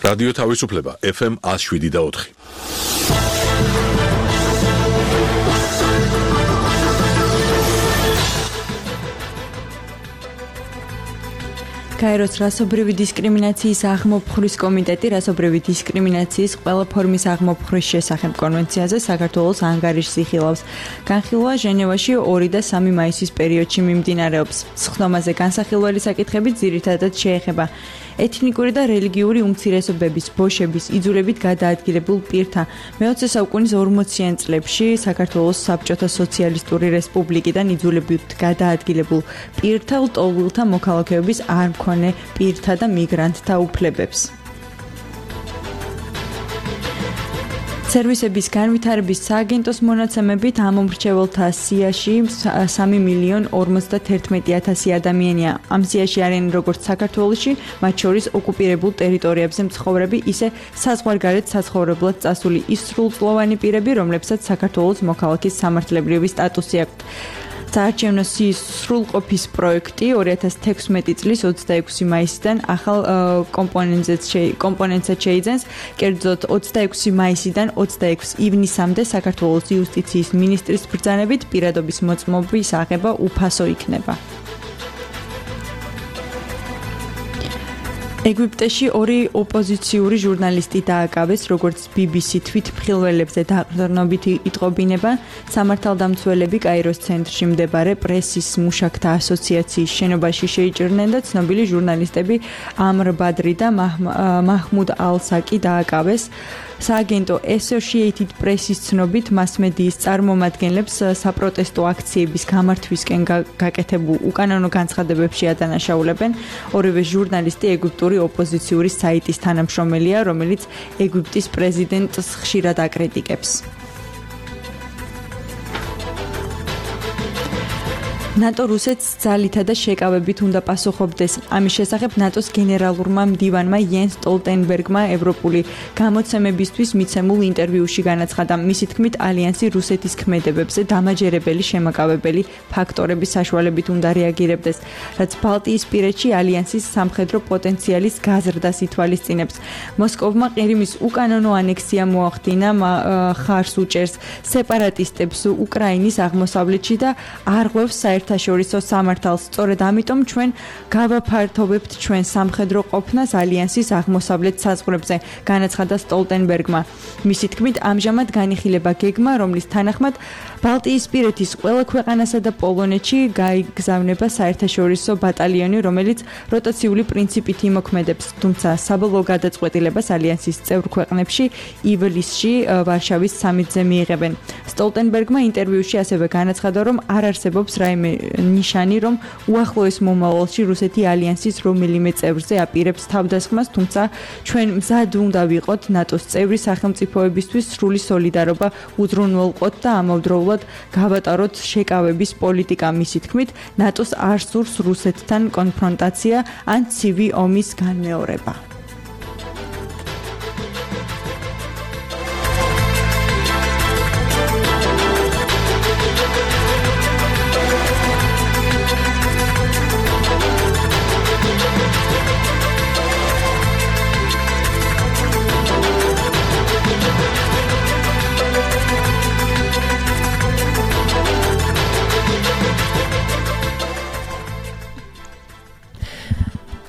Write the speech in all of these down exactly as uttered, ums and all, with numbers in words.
რადიო თავისუფლება ეფ ემ one oh seven და four. გაეროს რასობრივი დისკრიმინაციის აღმოფხვრის კომიტეტი რასობრივი დისკრიმინაციის ყველა ფორმის აღმოფხვრის შესახებ კონვენციაზე საქართველოს ანგარიშს იხილავს. განხილვა ჟენევაში ორი და სამი მაისის პერიოდში მიმდინარეობს. სხდომაზე განსახილველი საკითხები ძირითადად შეეხება ეთნიკური და რელიგიური უმცირესობების, ბოშების, იძულებით გადაადგილებულ პირთა მეოცე საუკუნის ორმოციან წლებში საქართველოს საბჭოთა სოციალისტური რესპუბლიკიდან იძულებით გადაადგილებულ პირთა ლტოლვილთა მოქალაქეობის არ მქონე პირთა და მიგრანტთა უფლებებს. სერვისების განვითარების სააგენტოს მონაცემებით ამომრჩეველთა სიაში სამი მილიონი ორმოცდაათი ათასი ადამიანია. ამ სიაში არიან როგორც საქართველოში, მათ შორის ოკუპირებულ ტერიტორიებზე მცხოვრები, ისე საზღვარგარეთ საცხოვრებლად წასული ის სრულწლოვანი პირები, რომლებსაც საქართველოს მოქალაქის სამართლებრივი სტატუსი აქვთ. საარჩევნო სიის სრულყოფის პროექტი ორი ათას თექვსმეტი წლის ოცდაექვსი მაისიდან ახალ კომპონენტსაც შეიძენს. კერძოდ ოცდაექვსი მაისიდან ოცდაექვსი ივნისამდე საქართველოს იუსტიციის მინისტრის ბრძანებით პირადობის მოწმობის აღება უფასო იქნება. ეგვიპტეში ორი ოპოზიციური ჟურნალისტი დააკავეს, როგორც ბი ბი სი თვითმხილველებზე დაყრდნობით იტყობინება. სამართალდამცველები კაიროს ცენტრში მდებარე პრესის მუშაკთა ასოციაციის შენობაში შეიჭრნენ და ცნობილი ჟურნალისტები ამრ ბადრი და მაჰმუდ ალ-საკი დააკავეს. სააგენტო Associated Press-ის ცნობით მასმედიის წარმომადგენლებს საპროტესტო აქციების გამართვისკენ გაკეთებულ უკანონო განცხადებებში ადანაშაულებენ. ორივე ჟურნალისტი ეგვიპტური ოპოზიციური საიტის თანამშრომელია, რომელიც ეგვიპტის პრეზიდენტს ხშირად აკრიტიკებს. ნატო რუსეთს ძალითა და შეკავებით უნდა პასუხობდეს. ამის შესახებ ნატოს გენერალურმა მდივანმა იენს სტოლტენბერგმა ევროპული გამოცემებისთვის მიცემულ ინტერვიუში განაცხადა, მისი თქმით ალიანსი რუსეთის ქმედებებზე დამაჯერებელი შემაკავებელი ფაქტორების საშუალებით უნდა რეაგირებდეს, რაც ბალტიისპირეთში ალიანსის სამხედრო პოტენციალის გაზრდას ითვალისწინებს. მოსკოვმა ყირიმის უკანონო ანექსია მოახდინა, ხარს უჭერს სეპარატისტებს უკრაინის აღმოსავლეთში და არღვევს საერთაშორისო საერთაშორისო სამართალს. სწორედ ამიტომ ჩვენ გავაფართოვებთ ჩვენ სამხედრო ყოფნას ალიანსის აღმოსავლეთ საზღვრებზე, განაცხადა სტოლტენბერგმა. მისი თქმით, ამჟამად განიხილება გეგმა, რომლის თანახმად ბალტიისპირეთის ყველა ქვეყანასა და პოლონეთში გაიგზავნება საერთაშორისო ბატალიონი, რომელიც როტაციული პრინციპით იმოქმედებს, თუმცა საბოლოო გადაწყვეტილებას ალიანსის წევრ ქვეყნებში ივლისში ვარშავის სამიტზე მიიღებენ. სტოლტენბერგმა ინტერვიუში ასევე განაცხადა, რომ არ არსებობს რაიმე ნიშანი, რომ უახლოეს მომავალში რუსეთი ალიანსის რომელიმე წევრზე აპირებს თავდასხმას, თუმცა ჩვენ მზად უნდა ვიყოთ ნატოს წევრი სახელმწიფოებისთვის სრული სოლიდარობა უზრუნველყოთ და ამავდროულად გავატაროთ შეკავების პოლიტიკა. მისი თქმით, ნატოს არ სურს რუსეთთან კონფრონტაცია ან ცივი ომის განმეორება.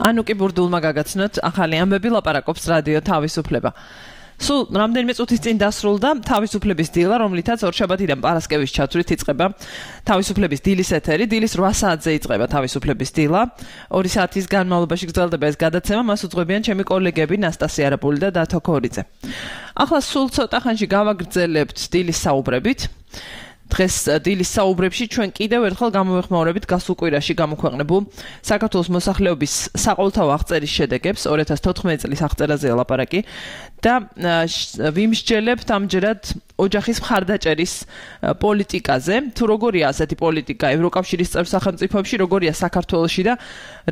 ანუკი ბურდულმა გაგაცნოთ ახალი ამბები, ლაპარაკობს რადიო თავისუფლება. სულ რამდენიმე წუთის წინ დასრულდა თავისუფლების დილა, რომლითაც ორშაბათიდან პარასკევის ჩათვლით იწყება თავისუფლების დილის ეთერი. დილის რვა საათზე იწყება თავისუფლების დილა. ორი საათის განმავლობაში გრძელდება ეს გადაცემა, მას უძღვებიან ჩემი კოლეგები ნასტასია არაპული და დათო ქორიძე. ახლა სულ ცოტა ხანში გავაგრძელებთ დილის საუბრებით. დღეს დილის საუბრებში ჩვენ კიდევ ერთხელ გამოვეხმაურებით გასულ კვირაში გამოქვეყნებულ საქართველოს მოსახლეობის საყოველთაო აღწერის შედეგებს, ორი ათას თოთხმეტი წლის აღწერაზეა ლაპარაკი და ვიმსჯელებთ ამჯერად ოჯახის მხარდაჭერის პოლიტიკაზე. თუ როგორია ასეთი პოლიტიკა ევროკავშირის წევრ სახელმწიფოებში, როგორია საქართველოში და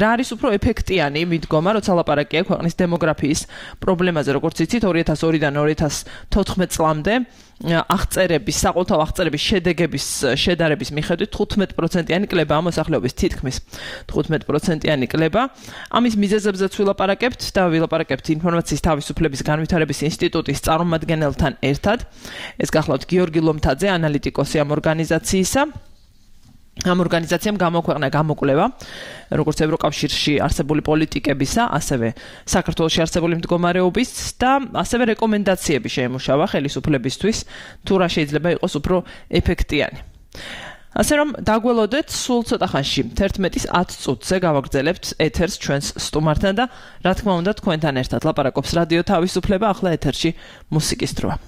რა არის უფრო ეფექტიანი მიდგომა, როცა ლაპარაკია ქვეყნის დემოგრაფიის პრობლემაზე, როგორც იცით, ორი ათას ორიდან ორი ათას თოთხმეტ წლამდე აღწერების, საყოველთაო აღწერების შედეგების შედარების მიხედვით თხუთმეტ პროცენტიანი კლებაა მოსახლეობის, თითქმის თხუთმეტ პროცენტიანი კლება. ამის მიზეზებზეც ვილაპარაკებთ და ვილაპარაკებთ ინფორმაციის თავისუფლების განვითარების ინსტიტუტის წარმომადგენელთან ერთად. ეს გახლავთ გიორგი ლომთაძე, ანალიტიკოსი ამ ორგანიზაციისა. ამ ორგანიზაციამ გამოქვეყნა გამოკვლევა, როგორც ევროკავშირში არსებული პოლიტიკებისა, ასევე საქართველოში არსებული მდგომარეობის და ასევე რეკომენდაციები შეემუშავა ხელისუფლებისთვის, თუ რა შეიძლება იყოს უფრო ეფექტიანი. ასე რომ დაგველოდეთ სულ ცოტა ხანში თერთმეტის ათ წუთზე გავაგრძელებთ ეთერს ჩვენს სტუმართან და რა თქმა უნდა თქვენთან ერთად ლაპარაკობს რადიო თავისუფლება, ახლა ეთერში მუსიკის დროა.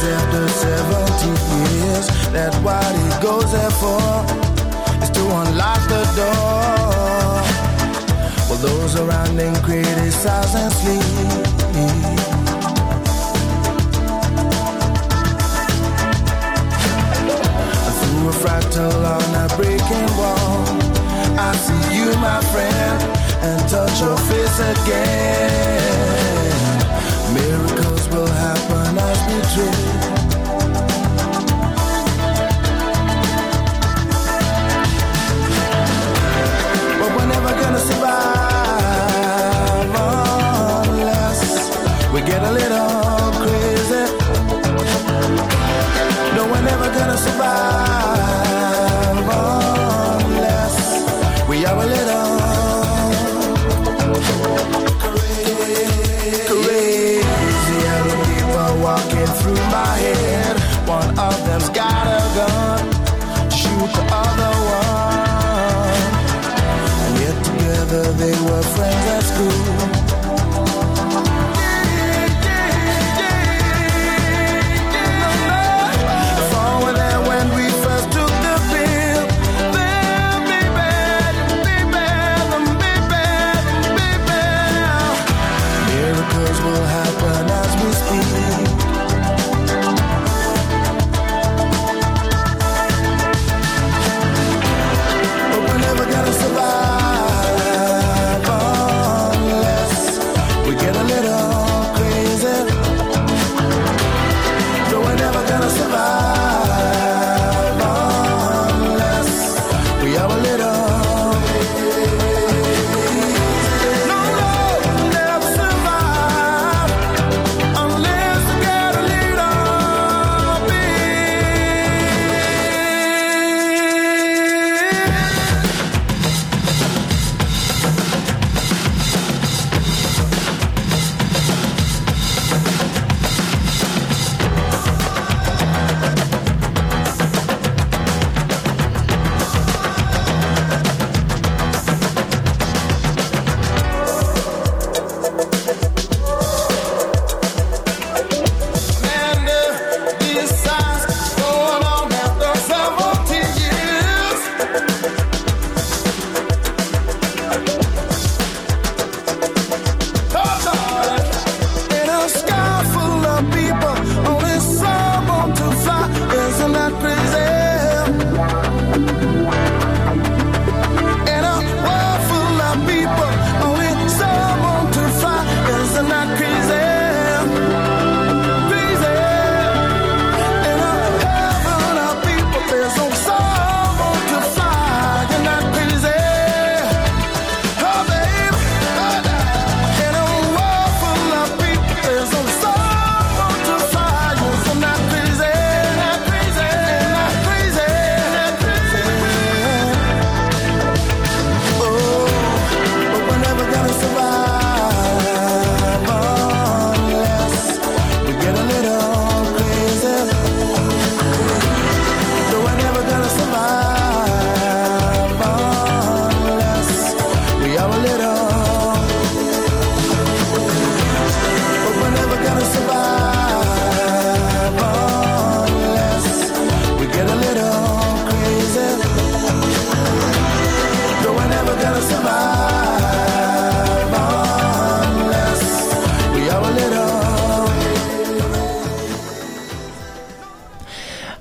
After seventy years, that's what he goes there for, is to unlock the door. Well, those around him criticize and sleep. Through a fractal on a breaking wall, I see you, my friend, and touch your face again. Miracles will happen as we dream. But we're never gonna survive unless we get a little crazy. No, we're never gonna survive unless we are a little walking through my head. One of them's got a gun to shoot the other one, and yet together they were friends at school. If all were there when we first took the pill, then baby, baby, baby, baby, miracles will happen as we speak. But we're never gonna survive unless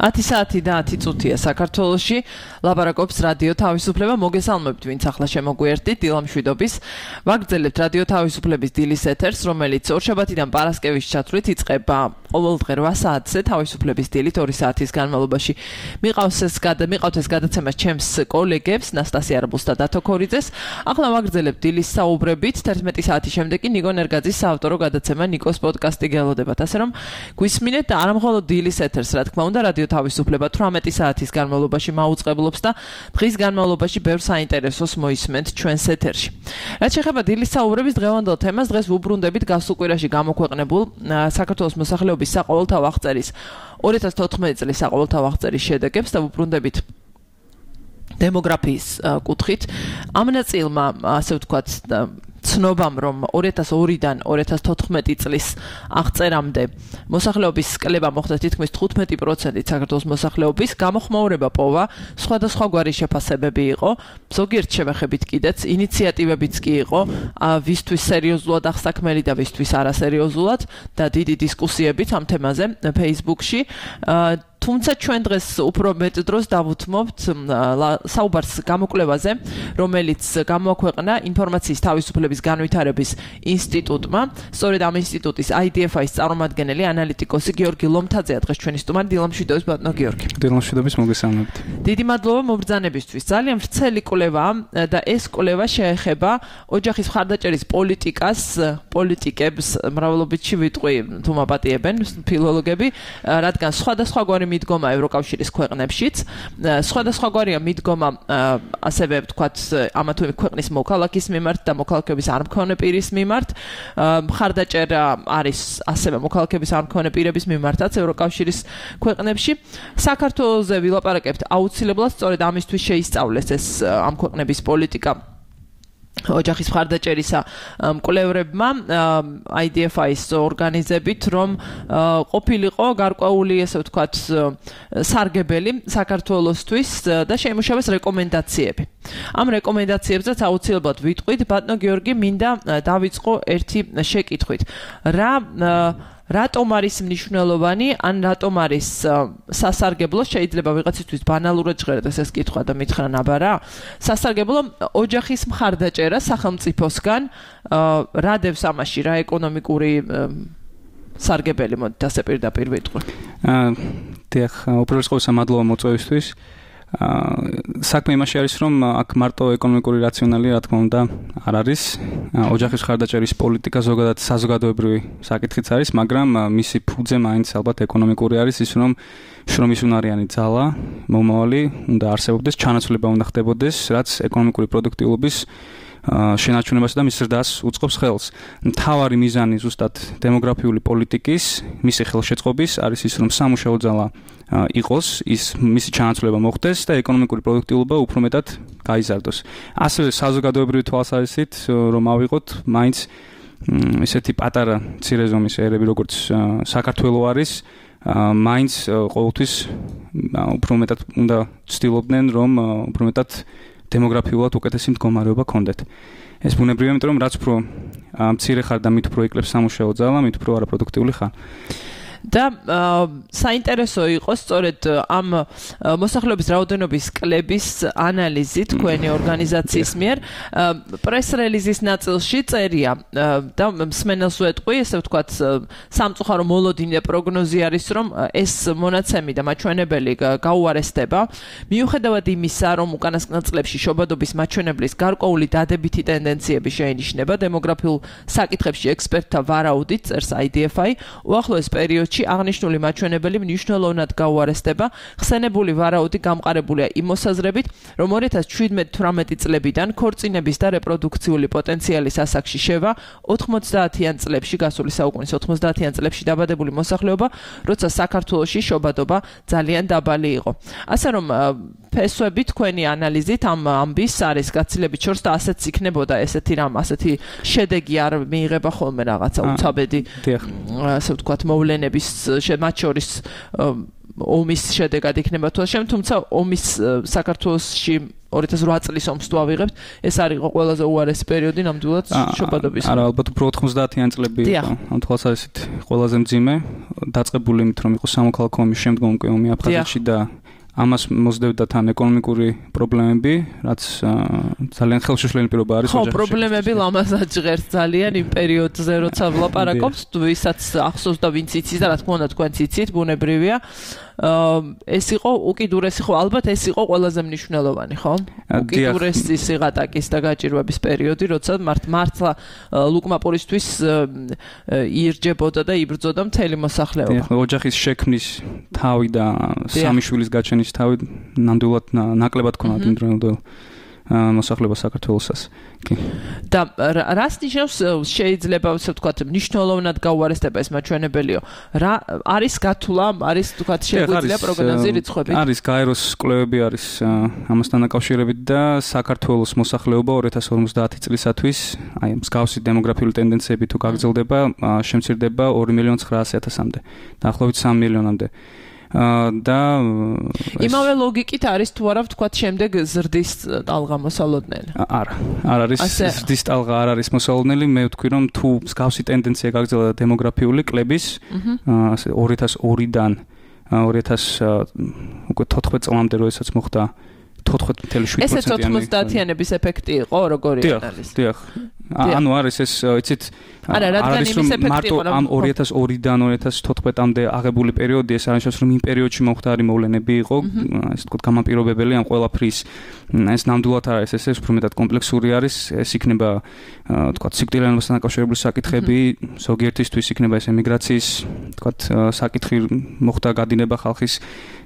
ათი საათი და ათი წუთია საქართველოში. ლაპარაკობს რადიო თავისუფლება. მოგესალმებთ, ვინც ახლა შემოგვიერთდით დილამშვიდობის. ვაგრძელებთ რადიო თავისუფლების დილის ეთერს, რომელიც ორშაბათიდან პარასკევის ჩათვლით იწყება ყოველდღე რვა საათზე თავისუფლების დილით ორი საათის განმავლობაში. მიყავს ეს გადა მიყავთ ეს გადაცემა ჩემს კოლეგებს ნასტასია რბულს და დათო ქორიძეს. ახლა ვაგრძელებთ დილის საუბრებით. თერთმეტი საათის შემდეგ კი ნიკო ნერგაძის საავტორო გადაცემა ნიკოს პოდკასტი გელოდებათ. ასე რომ გვისმინეთ და არა მხოლოდ დილის ეთერს, რა თქმა უნდა, რადიო თავისუფლება თვრამეტი საათის განმავლობაში მაუწყებლობს და დღის განმავლობაში ბევრ საინტერესოს მოისმენთ ჩვენს ეთერში. რაც შეეხება დილის საუბრების დღევანდელ თემას, დღეს ვუბრუნდებით გასულ კვირაში გამოქვეყნებულ საქართველოს მოსახლეობის საყოველთაო აღწერის ორი ათას თოთხმეტი წლის საყოველთაო აღწერის შედეგებს და ვუბრუნდებით დემოგრაფიის კუთხით. ამ ნაწილმა, ასე ვთქვათ, ცნობამ, რომ ორი ათას ორიდან ორი ათას თოთხმეტი წლის აღწერამდე მოსახლეობის კლება მოხდა თითქმის თხუთმეტი პროცენტით საქართველოს მოსახლეობის, გამოხმაურება პოვა, სხვადასხვაგვარი შეფასებები იყო, ზოგიერთ შევეხებით კიდეც, ინიციატივებიც კი იყო, ვისთვის სერიოზულად აღსაქმელი და ვისთვის არასერიოზულად და დიდი დისკუსიებით ამ თემაზე Facebook-ში. თუმცა ჩვენ დღეს უფრო მეტ დროს დავუთმობთ საუბარს გამოკვლევაზე, რომელიც გამოაქვეყნა ინფორმაციის თავისუფლების განვითარების ინსტიტუტმა. სწორედ ამ ინსტიტუტის I D F I-ის წარმომადგენელი ანალიტიკოსი გიორგი ლომთაძეა დღეს ჩვენი სტუმარი. დილამშვიდობის ბატონო გიორგი. დილამშვიდობის, მოგესალმებით. დიდი მადლობა მობრძანებისთვის. ძალიან ვრცელი კვლევაა და ეს კვლევა შეეხება ოჯახის მხარდაჭერის პოლიტიკას, პოლიტიკებს, მრავლობითში ვიტყვი, თუ მაპატიებენ ფილოლოგები, რადგან სხვადასხვაგვარი მიდგომა ევროკავშირის ქვეყნებშიც, სხვადასხვაგვარია მიდგომა ასევე ვთქვათ ამა თუ იმ ქვეყნის მოქალაქის მიმართ და მოქალაქეების არ მქონე პირის მიმართ. მხარდაჭერა არის ასევე მოქალაქეების არ მქონე პირების მიმართაც ევროკავშირის ქვეყნებში. საქართველოზე ვილაპარაკებთ აუცილებლად, სწორედ ამისთვის შეისწავლეს ეს ამ ქვეყნების პოლიტიკა ოჯახის მხარდაჭერისა მკვლევრებმა I D F I-ის ორგანიზებით, რომ ყოფილიყო გარკვეული, ესე ვთქვათ, სარგებელი საქართველოსთვის და შეიმუშავეს რეკომენდაციები. ამ რეკომენდაციებზეც აუცილებლად ვიტყვით, ბატონო გიორგი, მინდა დავიწყო ერთი შეკითხვით. რა რატომ არის მნიშვნელოვანი, ან რატომ არის სასარგებლო, შეიძლება ვიღაცისთვის ბანალურად ჟღერდეს ეს კითხვა და მითხრა ნაბარა, სასარგებლო ოჯახის მხარდაჭერა სახელმწიფოსგან, რა დევს ამაში, რა ეკონომიკური სარგებელი, მოდით ასე პირდაპირ ვიტყვი. დიახ, უპირველეს ყოვლისა მადლობა მოწვევისთვის. საქმე იმაში არის, რომ აქ მარტო ეკონომიკური რაციონალი, რა თქმა უნდა, არ არის. ოჯახის მხარდაჭერის პოლიტიკა ზოგადად საზოგადოებრივი საკითხიც არის, მაგრამ მისი ფუძე მაინც ალბათ ეკონომიკური არის, ის რომ შრომის უნარიანი ძალა, მომავალი უნდა არსებობდეს, ჩანაცვლება უნდა ხდებოდეს, რაც ეკონომიკური პროდუქტიულობის შენარჩუნებასა და მის ზრდას უწყობს ხელს. მთავარი მიზანი ზუსტად დემოგრაფიული პოლიტიკის, მისი ხელშეწყობის არის ის, რომ სამუშაო ძალა იყოს, ის მისი ჩანაცვლება მოხდეს და ეკონომიკური პროდუქტიულობა უფრო მეტად გაიზარდოს. ასევე საზოგადოებრივი თვალსაზრისით, რომ ავიღოთ, მაინც ესეთი პატარა მცირე ზომის ერები, როგორც საქართველო არის, მაინც ყოველთვის უფრო მეტად უნდა ცდილობდნენ, რომ უფრო მეტად დემოგრაფიულად უკეთესი მდგომარეობა ქონდეთ. ეს ბუნებრივია, იმიტომ რომ რაც უფრო მცირე ხარ და მით უფრო იკლებს სამუშაო ძალა, მით უფრო არაპროდუქტიული ხარ. და საინტერესო იყო სწორედ ამ მოსახლეობის რაოდენობის კლების ანალიზი თქვენი ორგანიზაციის მიერ პრეს-რელიზის ნაწილში წერია და მსმენელს ვეტყვი, ესე ვთქვათ, სამწუხარო მოლოდინე პროგნოზი არის, რომ ეს მონაცემი და მაჩვენებელი გაუარესდება, მიუხედავად იმისა, რომ უკანასკნელ წლებში შობადობის მაჩვენებლის გარკვეული დადებითი ტენდენციები შეინიშნება დემოგრაფიულ საკითხებში ექსპერტთა ვარაუდით, წერს I D F I, უახლოეს პერიოდში აღნიშნული მაჩვენებელი მნიშვნელოვნად გაუარესდება. ხსენებული ვარაუდი გამყარებულია იმ მოსაზრებით, რომ ორი ათას შვიდმეტი თვრამეტი წლებიდან ქორწინების და რეპროდუქციული პოტენციალის ასაკში შევა ოთხმოცდაათიან წლებში, გასული საუკუნის ოთხმოცდაათიან წლებში დაბადებული მოსახლეობა, როცა საქართველოში შობადობა ძალიან დაბალი იყო. ასე რომ ფესვები თქვენი ანალიზით ამ ამბის არის გაცილებით შორს და ასეც იქნებოდა ესეთი რამ, ასეთი შედეგი არ მიიღება ხოლმე რაღაცა უცაბედი, ასე ვთქვათ, მოვლენების მათ შორის ომის შედეგად იქნება თუ შენ, თუმცა ომის საქართველოში ორი ათას ოთხ წლის ომს თუ ავიღებთ, ეს არის იყო ყველაზე უარესი პერიოდი ნამდვილად შობადობის. არა, ალბათ უფრო ოთხმოცდაათიანი წლები იყო. ამ თვალსაზრისით ყველაზე მძიმე, დაწყებული იმით, რომ იყო სამოქალაქო ომის შემდგომ უკვე ომი აფხაზეთში და ამას მოსდევდა თან ეკონომიკური პრობლემები, რაც ძალიან ხელშეშლილი პირობა არის. ხო, პრობლემები ლამაზად ჟღერს ძალიან იმ პერიოდზე, როცა ვლაპარაკობთ, ვისაც ახსოვს და ვინც იცის და რა თქმა უნდა თქვენც იცით, ბუნებრივია. ეს იყო უკიდურესი, ხო, ალბათ ეს იყო ყველაზე მნიშვნელოვანი, ხო? უკიდურესი სიღატაკის და გაჭირვების პერიოდი, როცა მართლა ლუკმაპურისთვის იერჯებოდა და იბრძოდა მთელი მოსახლეობა. ოჯახის შექმნის თავი და სამი შვილის გაჩენის თავი ნამდვილად ნაკლებად ქონათ იმ დროინდელ მოს�ახლეობა საქართველოსაც. კი. და რას ნიშნავს შეიძლება ასე ვთქვათ მნიშვნელოვნად გაუარესდება ეს მაჩვენებელიო? რა არის გათვლა, არის ვთქვათ შეგვიძლია პროგნოზი რიცხვები? არის გაეროს კვლევები არის ამასთან დაკავშირებით და საქართველოს მოსახლეობა ორი ათას ორმოცდაათი წლისათვის, აი მსგავსი დემოგრაფიული ტენდენციები თუ გაგრძელდება, შემცირდება ორი მილიონი ცხრაასი ათასამდე, დაახლოებით სამი მილიონამდე. და იმავე ლოგიკით არის თუ არა ვთქვათ შემდეგ ზრდის ტალღა მოსალოდნელი? არა, არ არის ზრდის ტალღა არ არის მოსალოდნელი, მე ვთქვი რომ თუ მსგავსი ტენდენცია გაგრძელდა დემოგრაფიული კლების ასე ორი ათას ორიდან ორი ათას თოთხმეტ წლამდე როდესაც მოხდა თოთხმეტ წუთი შვიდ პროცენტიანი. ესეც ოთხმოცდაათიანების ეფექტი იყო, როგორი არის? დიახ, ანუ არის ეს, იცით, არა, რადგან იმის ეფექტი იყო, ამ ორი ათას ორიდან ორი ათას თოთხმეტამდე აღებული პერიოდი, ეს არნიშნავს, რომ იმ პერიოდში მომხდარი მოვლენები იყო, ასე ვთქვათ, გამაპირობებელი ამ ყველაფრის. ეს ნამდვილად არის, ეს უფრო მეტად კომპლექსური არის, ეს იქნება, ვთქვათ, სიკვდილიანობასთან დაკავშირებული საკითხები, ზოგიერთისთვის იქნება ეს ემიგრაციის, ვთქვათ, საკითხი მოხდა გადინება ხალხის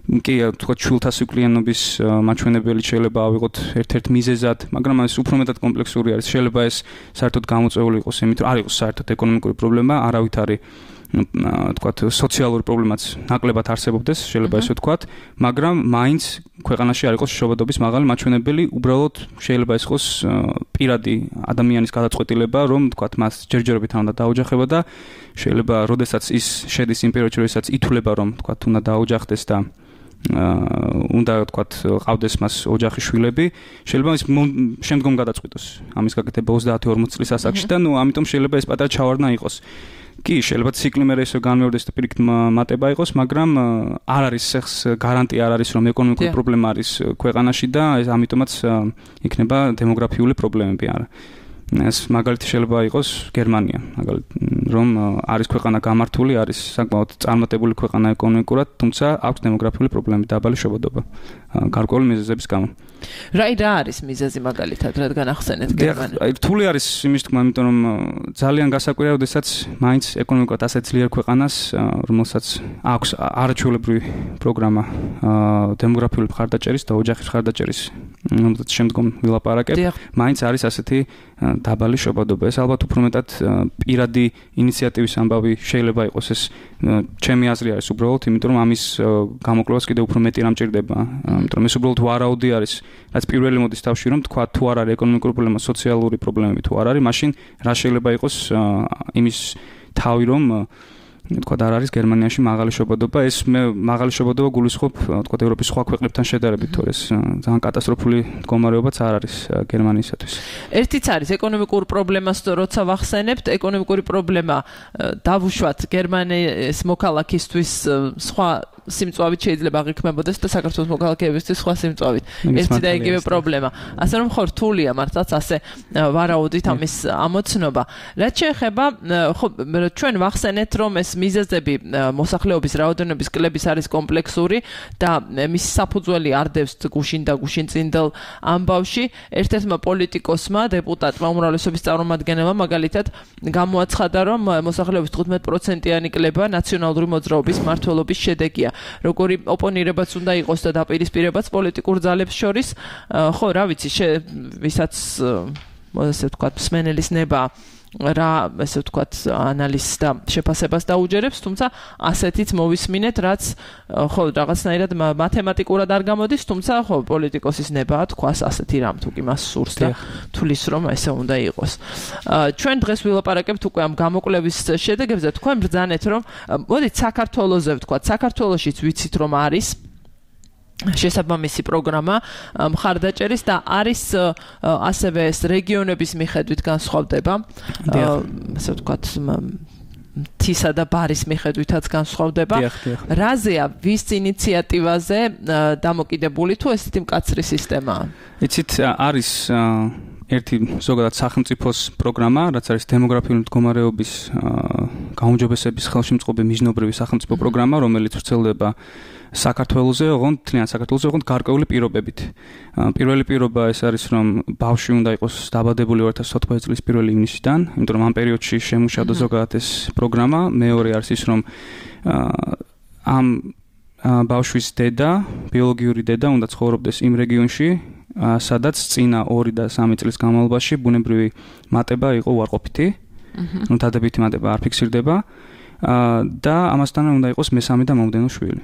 კი, ვთქვათ, შვილთა სიკვდილიანობის მაჩვენებელი შეიძლება ავიღოთ ერთ-ერთ მიზეზად, მაგრამ ეს უფრო მეტად კომპლექსური არის. შეიძლება ეს საერთოდ გამოწვეული იყოს იმით, რომ არ იყოს საერთოდ ეკონომიკური პრობლემა, არავით არის ვთქვათ, სოციალური პრობლემაც ნაკლებად არსებობდეს, შეიძლება ესე ვთქვათ, მაგრამ მაინც ქვეყანაში არ იყოს შობადობის მაღალი მაჩვენებელი, უბრალოდ შეიძლება ეს იყოს პირადი ადამიანის გადაწყვეტილება, რომ ვთქვათ, მას ჯერჯერობით არ უნდა დაოჯახება და შეიძლება, როდესაც ის შედის იმ პერიოდში, როდესაც ითვლება, რომ ვთქვათ, უნდა დაოჯახდეს და უნდა ვთქვათ, ყავდეს მას ოჯახის შვილები, შეიძლება ის შემდგომ გადაწყვიტოს ამის გაკეთება ოცდაათი ორმოცი წლის ასაკში და ნუ ამიტომ შეიძლება ეს პატარა ჩავარდნა იყოს. კი, შეიძლება ციკლი მე ესე განმეორდეს და პირიქით მატება იყოს, მაგრამ არ არის ეს გარანტია არ არის, რომ ეკონომიკური პრობლემა არის ქვეყანაში და ეს ამიტომაც იქნება დემოგრაფიული პრობლემები არა. ეს მაგალითი შეიძლება იყოს გერმანია, მაგალითად, რომ არის ქვეყანა გამართული, არის საკმაოდ წარმატებული ქვეყანა ეკონომიკურად, თუმცა აქვს დემოგრაფიული პრობლემები, დაბალი შობადობა, გარკვეული მიზეზების გამო. რა რა არის მიზეზი მაგალითად, რადგან ახსენეთ გერმანია? აი, რთული არის იმის თქმა, იმიტომ რომ ძალიან გასაკვირია, როდესაც მაინც ეკონომიკურად ასეთ ძლიერ ქვეყანას, რომელსაც აქვს არაჩვეულებრივი პროგრამა დემოგრაფიული მხარდაჭერის და ოჯახის მხარდაჭერის, რომელსაც შემდგომ ვილაპარაკებ, მაინც არის ასეთი დაბალი შობადობა. ეს ალბათ უფრო მეტად პირადი ინიციატივის ამბავი შეიძლება იყოს ეს ჩემი აზრი არის უბრალოდ, იმიტომ რომ ამის გამოკვლევას კიდევ უფრო მეტი რამ ჭირდება. იმიტომ რომ ეს უბრალოდ ვარაუდი არის, რაც პირველი მოდის თავში, რომ თქვა თუ არ არის ეკონომიკური პრობლემა, სოციალური პრობლემები თუ არ არის, მაშინ რა შეიძლება იყოს იმის თავი, რომ თქვა არ არის გერმანიაში მაღალი შობადობა, ეს მე მაღალი შობადობა გულისხმობ თქვა ევროპის სხვა ქვეყნებთან შედარებით, თორე ეს ძალიან კატასტროფული მდგომარეობაც არ არის გერმანიისათვის. ერთიც არის ეკონომიკურ პრობლემას როცა ვახსენებთ, ეკონომიკური პრობლემა დავუშვათ გერმანიის მოქალაქისთვის სხვა სიმწვავით შეიძლება აღიქმებოდეს და საქართველოს მოქალაქეებისთვის სხვა სიმწვავით. ერთი და იგივე პრობლემა. ასე რომ ხო რთულია მართლაც ასე ვარაუდით ამის ამოცნობა. რაც შეეხება ხო ჩვენ ვახსენეთ რომ ეს მიზეზები მოსახლეობის რაოდენობის კლების არის კომპლექსური და მის საფუძველი არდევს გუშინ და გუშინწინდელ ამბავში. ერთ-ერთმა პოლიტიკოსმა, დეპუტატმა, უმრავლესობის წარმომადგენელმა მაგალითად გამოაცხადა, რომ მოსახლეობის თხუთმეტ პროცენტიანი კლება ნაციონალური მოძრაობის მმართველობის შედეგია. როგორი ოპონირებაც უნდა იყოს და დაპირისპირებაც პოლიტიკურ ძალებს შორის, ხო, რა ვიცი, ვისაც ასე ვთქვათ, მსმენელის ნება რა ასე ვთქვათ ანალიზს და შეფასებას დაუჯერებს, თუმცა ასეთიც მოვისმინეთ, რაც ხო რაღაცნაირად მათემატიკურად არ გამოდის, თუმცა ხო პოლიტიკოსის ნება თქვას ასეთი რამ თუ კი მას სურს და თulis რომ ესე უნდა იყოს. ჩვენ დღეს ვილაპარაკებთ უკვე ამ გამოკვლევის შედეგებზე, თქვენ ბრძანეთ რომ მოდით საქართველოზე ვთქვათ, საქართველოშიც ვიცით რომ არის შესაბამისი პროგრამა მხარდაჭერის და არის ასევე ეს რეგიონების მიხედვით განსხვავდება. ასე ვთქვათ, თისა და ბარის მიხედვითაც განსხვავდება. რაზეა ვის ინიციატივაზე დამოკიდებული თუ ესეთი მკაცრი სისტემაა? იცით, არის ერთი ზოგადად სახელმწიფოს პროგრამა, რაც არის დემოგრაფიული მდგომარეობის გაუმჯობესების ხელშემწყობი მიზნობრივი სახელმწიფო პროგრამა, რომელიც ვრცელდება საქართველოზე, ოღონდ თლიან საქართველოზე, ოღონდ გარკვეული პირობებით. პირველი პირობა ეს არის, რომ ბავშვი უნდა იყოს დაბადებული ორი ათას ოცდაოთხ წლის პირველი ივნისიდან, იმიტომ რომ ამ პერიოდში შემუშავდა ზოგადად ეს პროგრამა. მეორე არის ის, რომ ამ ბავშვის დედა, ბიოლოგიური დედა უნდა ცხოვრობდეს იმ რეგიონში, სადაც წინა ორი და სამი წლის განმავლობაში ბუნებრივი მატება იყო უარყოფითი. ნუ დადებითი მატება არ ფიქსირდება და ამასთან უნდა იყოს მესამე და მომდევნო შვილი.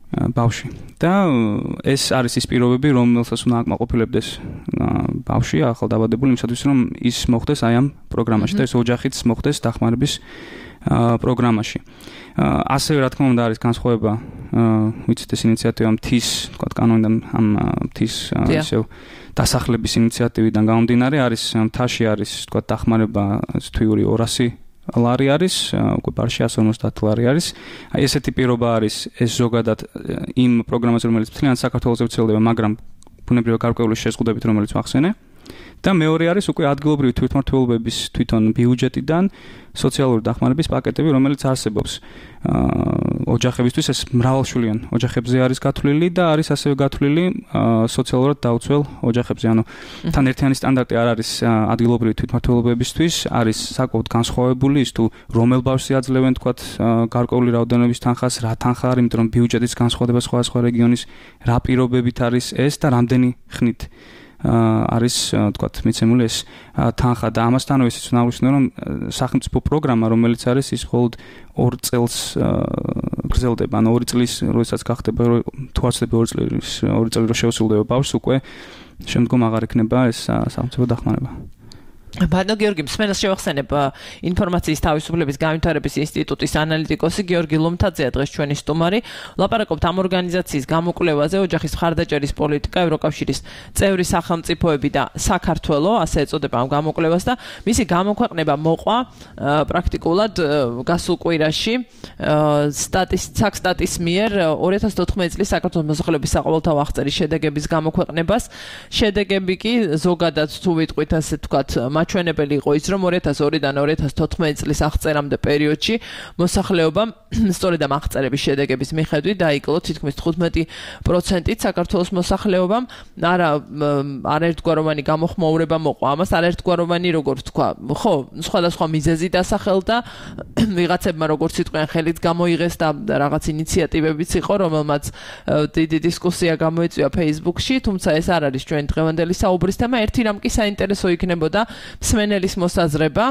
ბავშვი. და ეს არის ის პირობები, რომელსაც უნდა აკმაყოფილებდეს ბავშვი ახალ დაბადებული იმისათვის, რომ ის მოხდეს აი ამ პროგრამაში და ეს ოჯახიც მოხდეს დახმარების პროგრამაში. ასევე რა თქმა უნდა არის განსხვავება, ვიცით ეს ინიციატივა მთის, თქვა კანონიდან ამ მთის ისევ დასახლების ინიციატივიდან გამომდინარე არის მთაში არის თქვა დახმარება თვიური ორასი ლარი არის, უკვე ბარში εκατს ორმოცდაათ ლარი არის. აი ესეთი პირობა არის ეს ზოგადად იმ პროგრამაზე, რომელიც მთლიან საქართველოს ვრცელდება, მაგრამ ბუნებრივი გარკვეული შეზღუდებით, რომელიც ვახსენე. და მეორე არის უკვე ადგილობრივი თვითმმართველობების თვითონ ბიუჯეტიდან სოციალური დახმარების პაკეტები, რომელიც არსებობს. ოჯახებისთვის ეს მრავალშვილიან ოჯახებზე არის გათვლილი და არის ასევე გათვლილი სოციალურად დაუცველ ოჯახებზე. ანუ თან ერთიანი სტანდარტი არ არის ადგილობრივი თვითმმართველობებისთვის, არის საკმაოდ განსხვავებული ის თუ რომელ ბავშვს აძლევენ თქვათ გარკვეული რაოდენობის თანხას, რა თანხა არის, იმიტომ რომ ბიუჯეტის განსხვავდება სხვადასხვა რეგიონის, რა პირობებით არის ეს და რამდენი ხნით არის თქვათ მიცემული ეს თანხა და ამასთანავე ისიც უნდა აღვნიშნო, რომ სახელმწიფო პროგრამა, რომელიც არის ის მხოლოდ ორ წელს გრძელდება, ანუ ორი წლის როდესაც გახდება თუ არსდება ორი წლის ორი წელი რო შეუსრულდება ბავშვს, უკვე შემდგომ აღარ იქნება ეს სახელმწიფო დახმარება. ბატონო გიორგი, მსმენელს შევახსენებ ინფორმაციის თავისუფლების განვითარების ინსტიტუტის ანალიტიკოსი გიორგი ლომთაძეა დღეს ჩვენი სტუმარი. ვლაპარაკობთ ამ ორგანიზაციის გამოკვლევაზე, ოჯახის მხარდაჭერის პოლიტიკა, ევროკავშირის წევრი სახელმწიფოები და საქართველო, ასე ეწოდება ამ გამოკვლევას და მისი გამოქვეყნება მოყვა პრაქტიკულად გასულ კვირაში სტატის მიერ ორი ათას თოთხმეტი წლის საქართველოს მოსახლეობის საყოველთაო აღწერის შედეგების გამოქვეყნებას. შედეგები კი ზოგადად თუ ვიტყვით ასე თქვათ მაჩვენებელი იყო ის, რომ ორი ათას ორიდან ორი ათას თოთხმეტი წლის აღწერამდე პერიოდში მოსახლეობამ სწორედ ამ აღწერების შედეგების მიხედვით დაიკლო თითქმის თხუთმეტი პროცენტით საქართველოს მოსახლეობამ არა არაერთგვაროვანი გამოხმაურება მოყვა. ამას არაერთგვაროვანი როგორ ვთქვა, ხო, სხვადასხვა მიზეზი დასახელდა, ვიღაცებმა როგორც იტყვიან ხელით გამოიღეს და რაღაც ინიციატივებიც იყო, რომელმაც დიდი დისკუსია გამოიწვია Facebook-ში, თუმცა ეს არ არის ჩვენი დღევანდელი საუბრის თემა. ერთი რამ კი საინტერესო იქნებოდა მსმენელის მოსაზრება,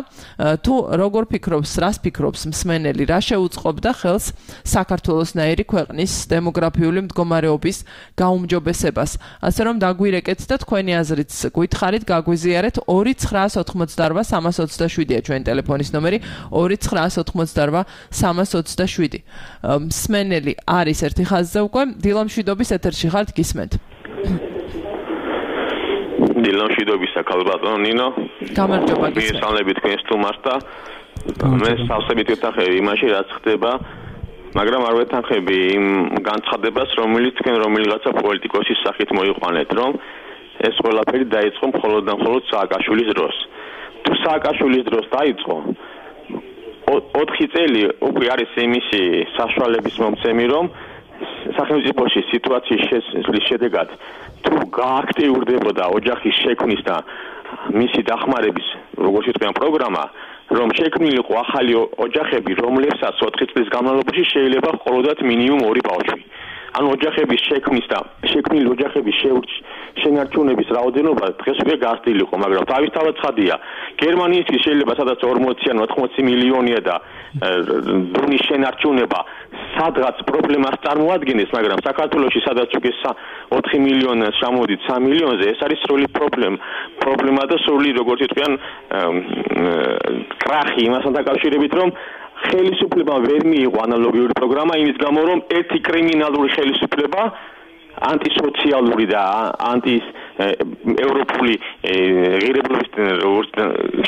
თუ როგორ ფიქრობს, რას ფიქრობს მსმენელი, რა შეუწყობდა ხელს საქართველოსნაირი ქვეყნის დემოგრაფიული მდგომარეობის გაუმჯობესებას. ასე რომ დაგვირეკეთ და თქვენი აზრით გითხარით, გაგვიზიარეთ ორი ცხრაას ოთხმოცდაორვა სამას ოცდაშვიდია ჩვენი ტელეფონის ნომერი ორი ცხრაას ოთხმოცდაორვა სამას ოცდაშვიდი. მსმენელი არის ერთი ხაზზე უკვე, დილამშვიდობის ეთერში ხართ, გისმენთ. დილამშვიდობის ახალბატონო ნინო. გამარჯობა გისმენთ. მისალები თქვენ სტუმარს და მე სავსებით ვეთანხები იმაში, რაც ხდება, მაგრამ არ ვეთანხები იმ განცხადებას, რომელიც თქვენ რომელიღაცა პოლიტიკოსის სახით მოიყვანეთ, რომ ეს ყველაფერი დაიწყო მხოლოდ და მხოლოდ სააკაშვილის დროს. თუ სააკაშვილის დროს დაიწყო, ოთხი წელი უკვე არის იმისი საშუალების მომცემი, რომ სახელმწიფოში სიტუაციის შესწრის შედეგად თუ გააქტიურდებოდა ოჯახის შექმნის და მისი დახმარების, როგორც იტყვიან, პროგრამა, რომ შექმნილიყო ახალი ოჯახები, რომლებსაც ოთხი წლის განმავლობაში შეიძლება ჰყოლოდათ მინიმუმ ორი ბავშვი. ანუ ოჯახების შექმნის და შექმნილი ოჯახების შენარჩუნების რაოდენობა დღეს უკვე გასწრილიყო, მაგრამ თავისთავად ცხადია, გერმანიაში შეიძლება სადაც ორმოცი ან ოთხმოცი მილიონია და დონის შენარჩუნება სადღაც პრობლემას წარმოადგენს, მაგრამ საქართველოში სადაც უკვე ოთხი მილიონს ჩამოდით სამი მილიონზე, ეს არის სრული პრობლემა. პრობლემა და სრული, როგორც იტყვიან, კრახი იმასთან დაკავშირებით, რომ ხელისუფლება ვერ მიიღო ანალოგიური პროგრამა, იმის გამო, რომ ერთი კრიმინალური ხელისუფლება ანტისოციალური და ანტი ევროპული ღირებულების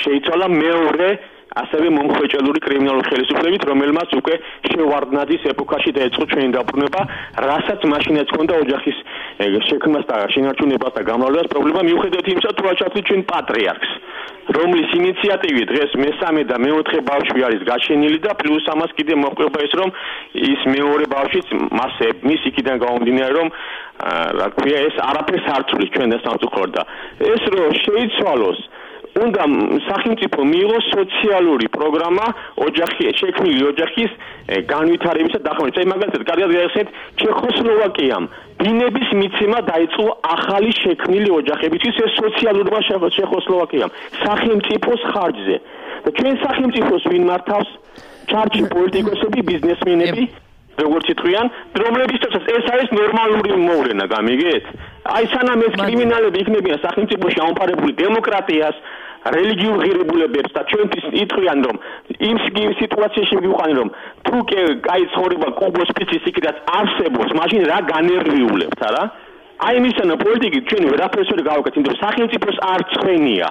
შეიცვალა მეორე ასევე მომხვეჭელური კრიმინალური ხელისუფლებით, რომელმაც უკვე შევარდნაძის ეპოქაში დაიწყო ჩვენი დაბრუნება, რასაც მაშინაც ჰქონდა ოჯახის შექმნას და შენარჩუნებას და გამრავლებას პრობლემა, მიუხედავად იმისა, თუ აჩვენეთ ჩვენ პატრიარქს, რომლის ინიციატივით დღეს მესამე და მეოთხე ბავშვი არის გაჩენილი და პლუს ამას კიდე მოყვება ის, რომ ის მეორე ბავშვიც მას მის იქიდან გამომდინარე, რომ რა ქვია, ეს არაფერს არ ცვლის ჩვენ და სამწუხაროდ და ეს რომ შეიცვალოს უნდა სახელმწიფო მიიღოს სოციალური პროგრამა ოჯახი შექმნილი ოჯახის განვითარებისა და დახმარებისა. მაგალითად, კარგად გაიხსენეთ, ჩეხოსლოვაკიამ ბინების მიცემა დაიწყო ახალი შექმნილი ოჯახებისთვის ეს სოციალურმა ჩეხოსლოვაკიამ სახელმწიფოს ხარჯზე. და ჩვენ სახელმწიფოს ვინ მართავს? ჩარჩი პოლიტიკოსები, ბიზნესმენები, როგორც იტყვიან, რომლებისთვისაც ეს არის ნორმალური მოვლენა, გამიგეთ? აი სანამ ეს კრიმინალები იქნებიან სახელმწიფოში ამოფარებული დემოკრატიას, რელიგიურ ღირებულებებს და ჩვენთვის იტყვიან, რომ იმ სიტუაციაში მივყვანენ, რომ თუ კი კაი ცხოვრება კუბოს ფიცის იქიდან არსებობს, მაშინ რა განერვიულებთ, არა? აი მისანა პოლიტიკით ჩვენ ვერაფერს ვერ გავაკეთებთ, იმიტომ რომ სახელმწიფოს არ ცხენია.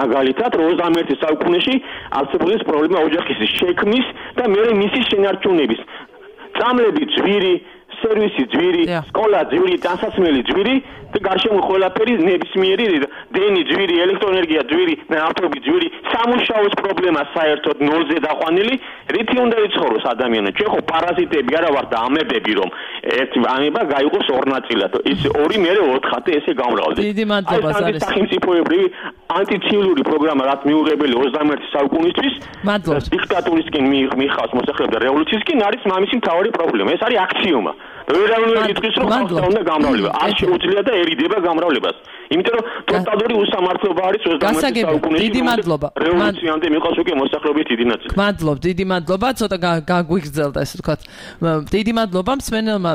მაგალითად, ოცდამეერთე საუკუნეში არსებობდა პრობლემა ოჯახის შექმნის და მეორე მისი შენარჩუნების. წამლები ძვირი, სერვისი ძვირი, სკოლა ძვირი, დასასმელი ძვირი და გარშემო ყველაფერი ნებისმიერი დენი ძვირი, ელექტროენერგია ძვირი, ნავთობი ძვირი, სამუშაოს პრობლემა საერთოდ ნოლზე დაყვანილი, რითი უნდა იცხოვროს ადამიანო? ჩვენ ხო პარაზიტები არა ვართ და ამებები, რომ ერთი ამება გაიყოს ორ ნაწილად. ის ორი მერე ოთხად ესე გამრავლდეს. დიდი მადლობა ზარეს. სახელმწიფოებრივი ანტიციური პროგრამა რაც მიუღებელი ოცდამეერთე საუკუნისთვის, დიქტატურისკენ მიხავს მოსახლეობა და რევოლუციისკენ არის მამისი მთავარი პრობლემა. ეს არის აქსიომა. ვერავინ იტყვის რომ ხალხს უნდა გამრავლება. არ შეუძლია და ერიდება გამრავლებას. იმიტომ რომ ტოტალური უსამართლობა არის ოცდამეერთე საუკუნეში. დიდი მადლობა. რევოლუციამდე მიყავს უკვე მოსახლეობის დიდი ნაწილი. მადლობ, დიდი მადლობა, ცოტა გაგვიგრძელდა ესე ვთქვათ. დიდი მადლობა მსმენელმა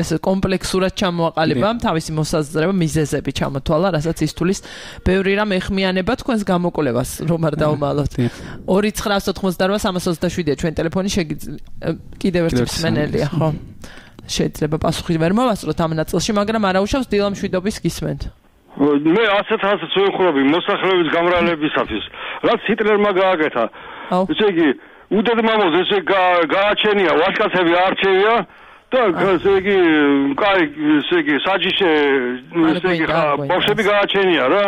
ეს კომპლექსურად ჩამოაყალიბა თავისი მოსაზრება, მიზეზები ჩამოთვალა, რასაც ის თulis ბევრი რამ ეხმიანება თქვენს გამოკვლევას, რომ არ დავმალოთ. ორი ცხრა ოთხმოცდაოთხ სამას ოცდაშვიდია ჩვენ ტელეფონი შეგიძლია კიდევ ერთი მსმენელია, ხო? შეიძლება პასუხი ვერ მოვასწროთ ამ ნაწილში, მაგრამ არაუშავს დილამშვიდობის გისმენთ. მე ასეთ ასეთ ვეხურები მოსახლეობის გამრავლebisafis, რაც ჰიტლერმა გააკეთა. ესე იგი, უდედმამოს ესე გააჩენია, ვაჟკაცები არჩევია და ესე იგი, კაი, ესე იგი, საჯიში, ესე იგი, ბავშვები გააჩენია რა.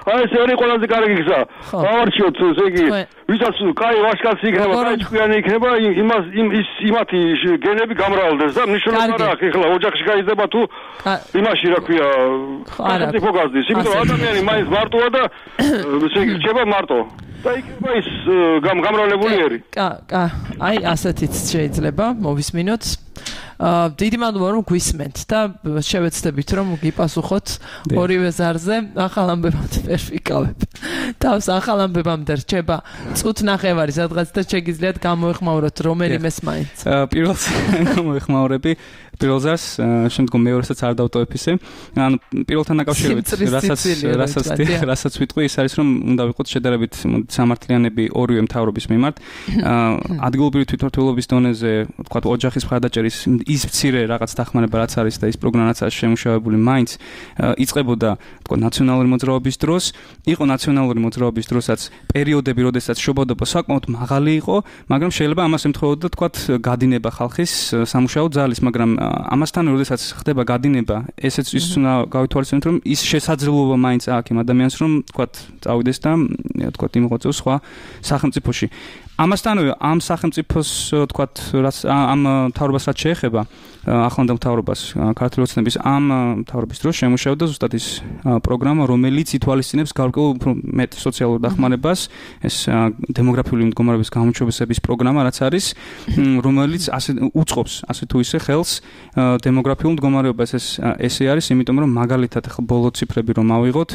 აი ეს არის ყველაზე კარგი გზა. გავარჩიოთ, ესე იგი, ვისაც კაი ვაჟკაცი იქნება, კაი ჭკვიანი იქნება, იმას ის იმათი გენები გამრავლდეს და მნიშვნელობა რა აქვს, ეხლა ოჯახში გაიზრდება თუ იმაში რა ქვია, სახელმწიფო გაზდის. იმიტომ რომ ადამიანი მაინც მარტოა და ესე იგი, რჩება მარტო. და იქნება ის გამრავლებული ერი. კა, კა, აი ასეთიც შეიძლება მოვისმინოთ. აა დიდი მადლობა რომ გვისმენთ და შევეცდებით რომ გიპასუხოთ ორივე ზარზე ახალ ამბებამდე ვერ ვიკავებ. თავს ახალ ამბებამდე რჩება წუთ ნახევარი სადღაც და შეგიძლიათ გამოეხმაუროთ რომელიმეს მაინც. პირველს გამოეხმაურები პირველ ზარს, შემდგომ მეორესაც არ დავტოვებ ისე. ანუ პირველთან დაკავშირებით რასაც რასაც რასაც ვიტყვი ის არის რომ უნდა ვიყოთ შედარებით სამართლიანები ორივე მთავრობის მიმართ. ადგილობრივი თვითმმართველობის დონეზე, თქვათ ოჯახის მხარდაჭერის ის მცირე რაღაც დახმარება რაც არის და ის პროგრამა რაც არის შემუშავებული მაინც იწყებოდა თქვა ნაციონალური მოძრაობის დროს, იყო ნაციონალური მოძრაობის დროსაც პერიოდები, როდესაც შობადობა საკმაოდ მაღალი იყო, მაგრამ შეიძლება ამას ემთხვეოდა თქვა გადინება ხალხის სამუშაო ძალის, მაგრამ ამასთან როდესაც ხდება გადინება, ესეც ის უნდა გავითვალისწინოთ, რომ ის შესაძლებლობა მაინც აქვს იმ ადამიანს, რომ თქვა წავიდეს და თქვა იმოწევს სხვა სახელმწიფოში. ამასთანავე ამ სახელმწიფოს თქვათ რაც ამ მთავრობას რაც შეეხება ახლანდელ მთავრობას ქართული ოცნების ამ მთავრობის დროს შემუშავდა ზუსტად ის პროგრამა რომელიც ითვალისწინებს გარკვეულ მეტ სოციალურ დახმარებას ეს დემოგრაფიული მდგომარეობის გამოჩვენების პროგრამა რაც არის რომელიც ასე უწყობს ასე თუ ისე ხელს დემოგრაფიულ მდგომარეობას ეს ესე არის იმიტომ რომ მაგალითად ახლა ბოლო ციფრები რომ ავიღოთ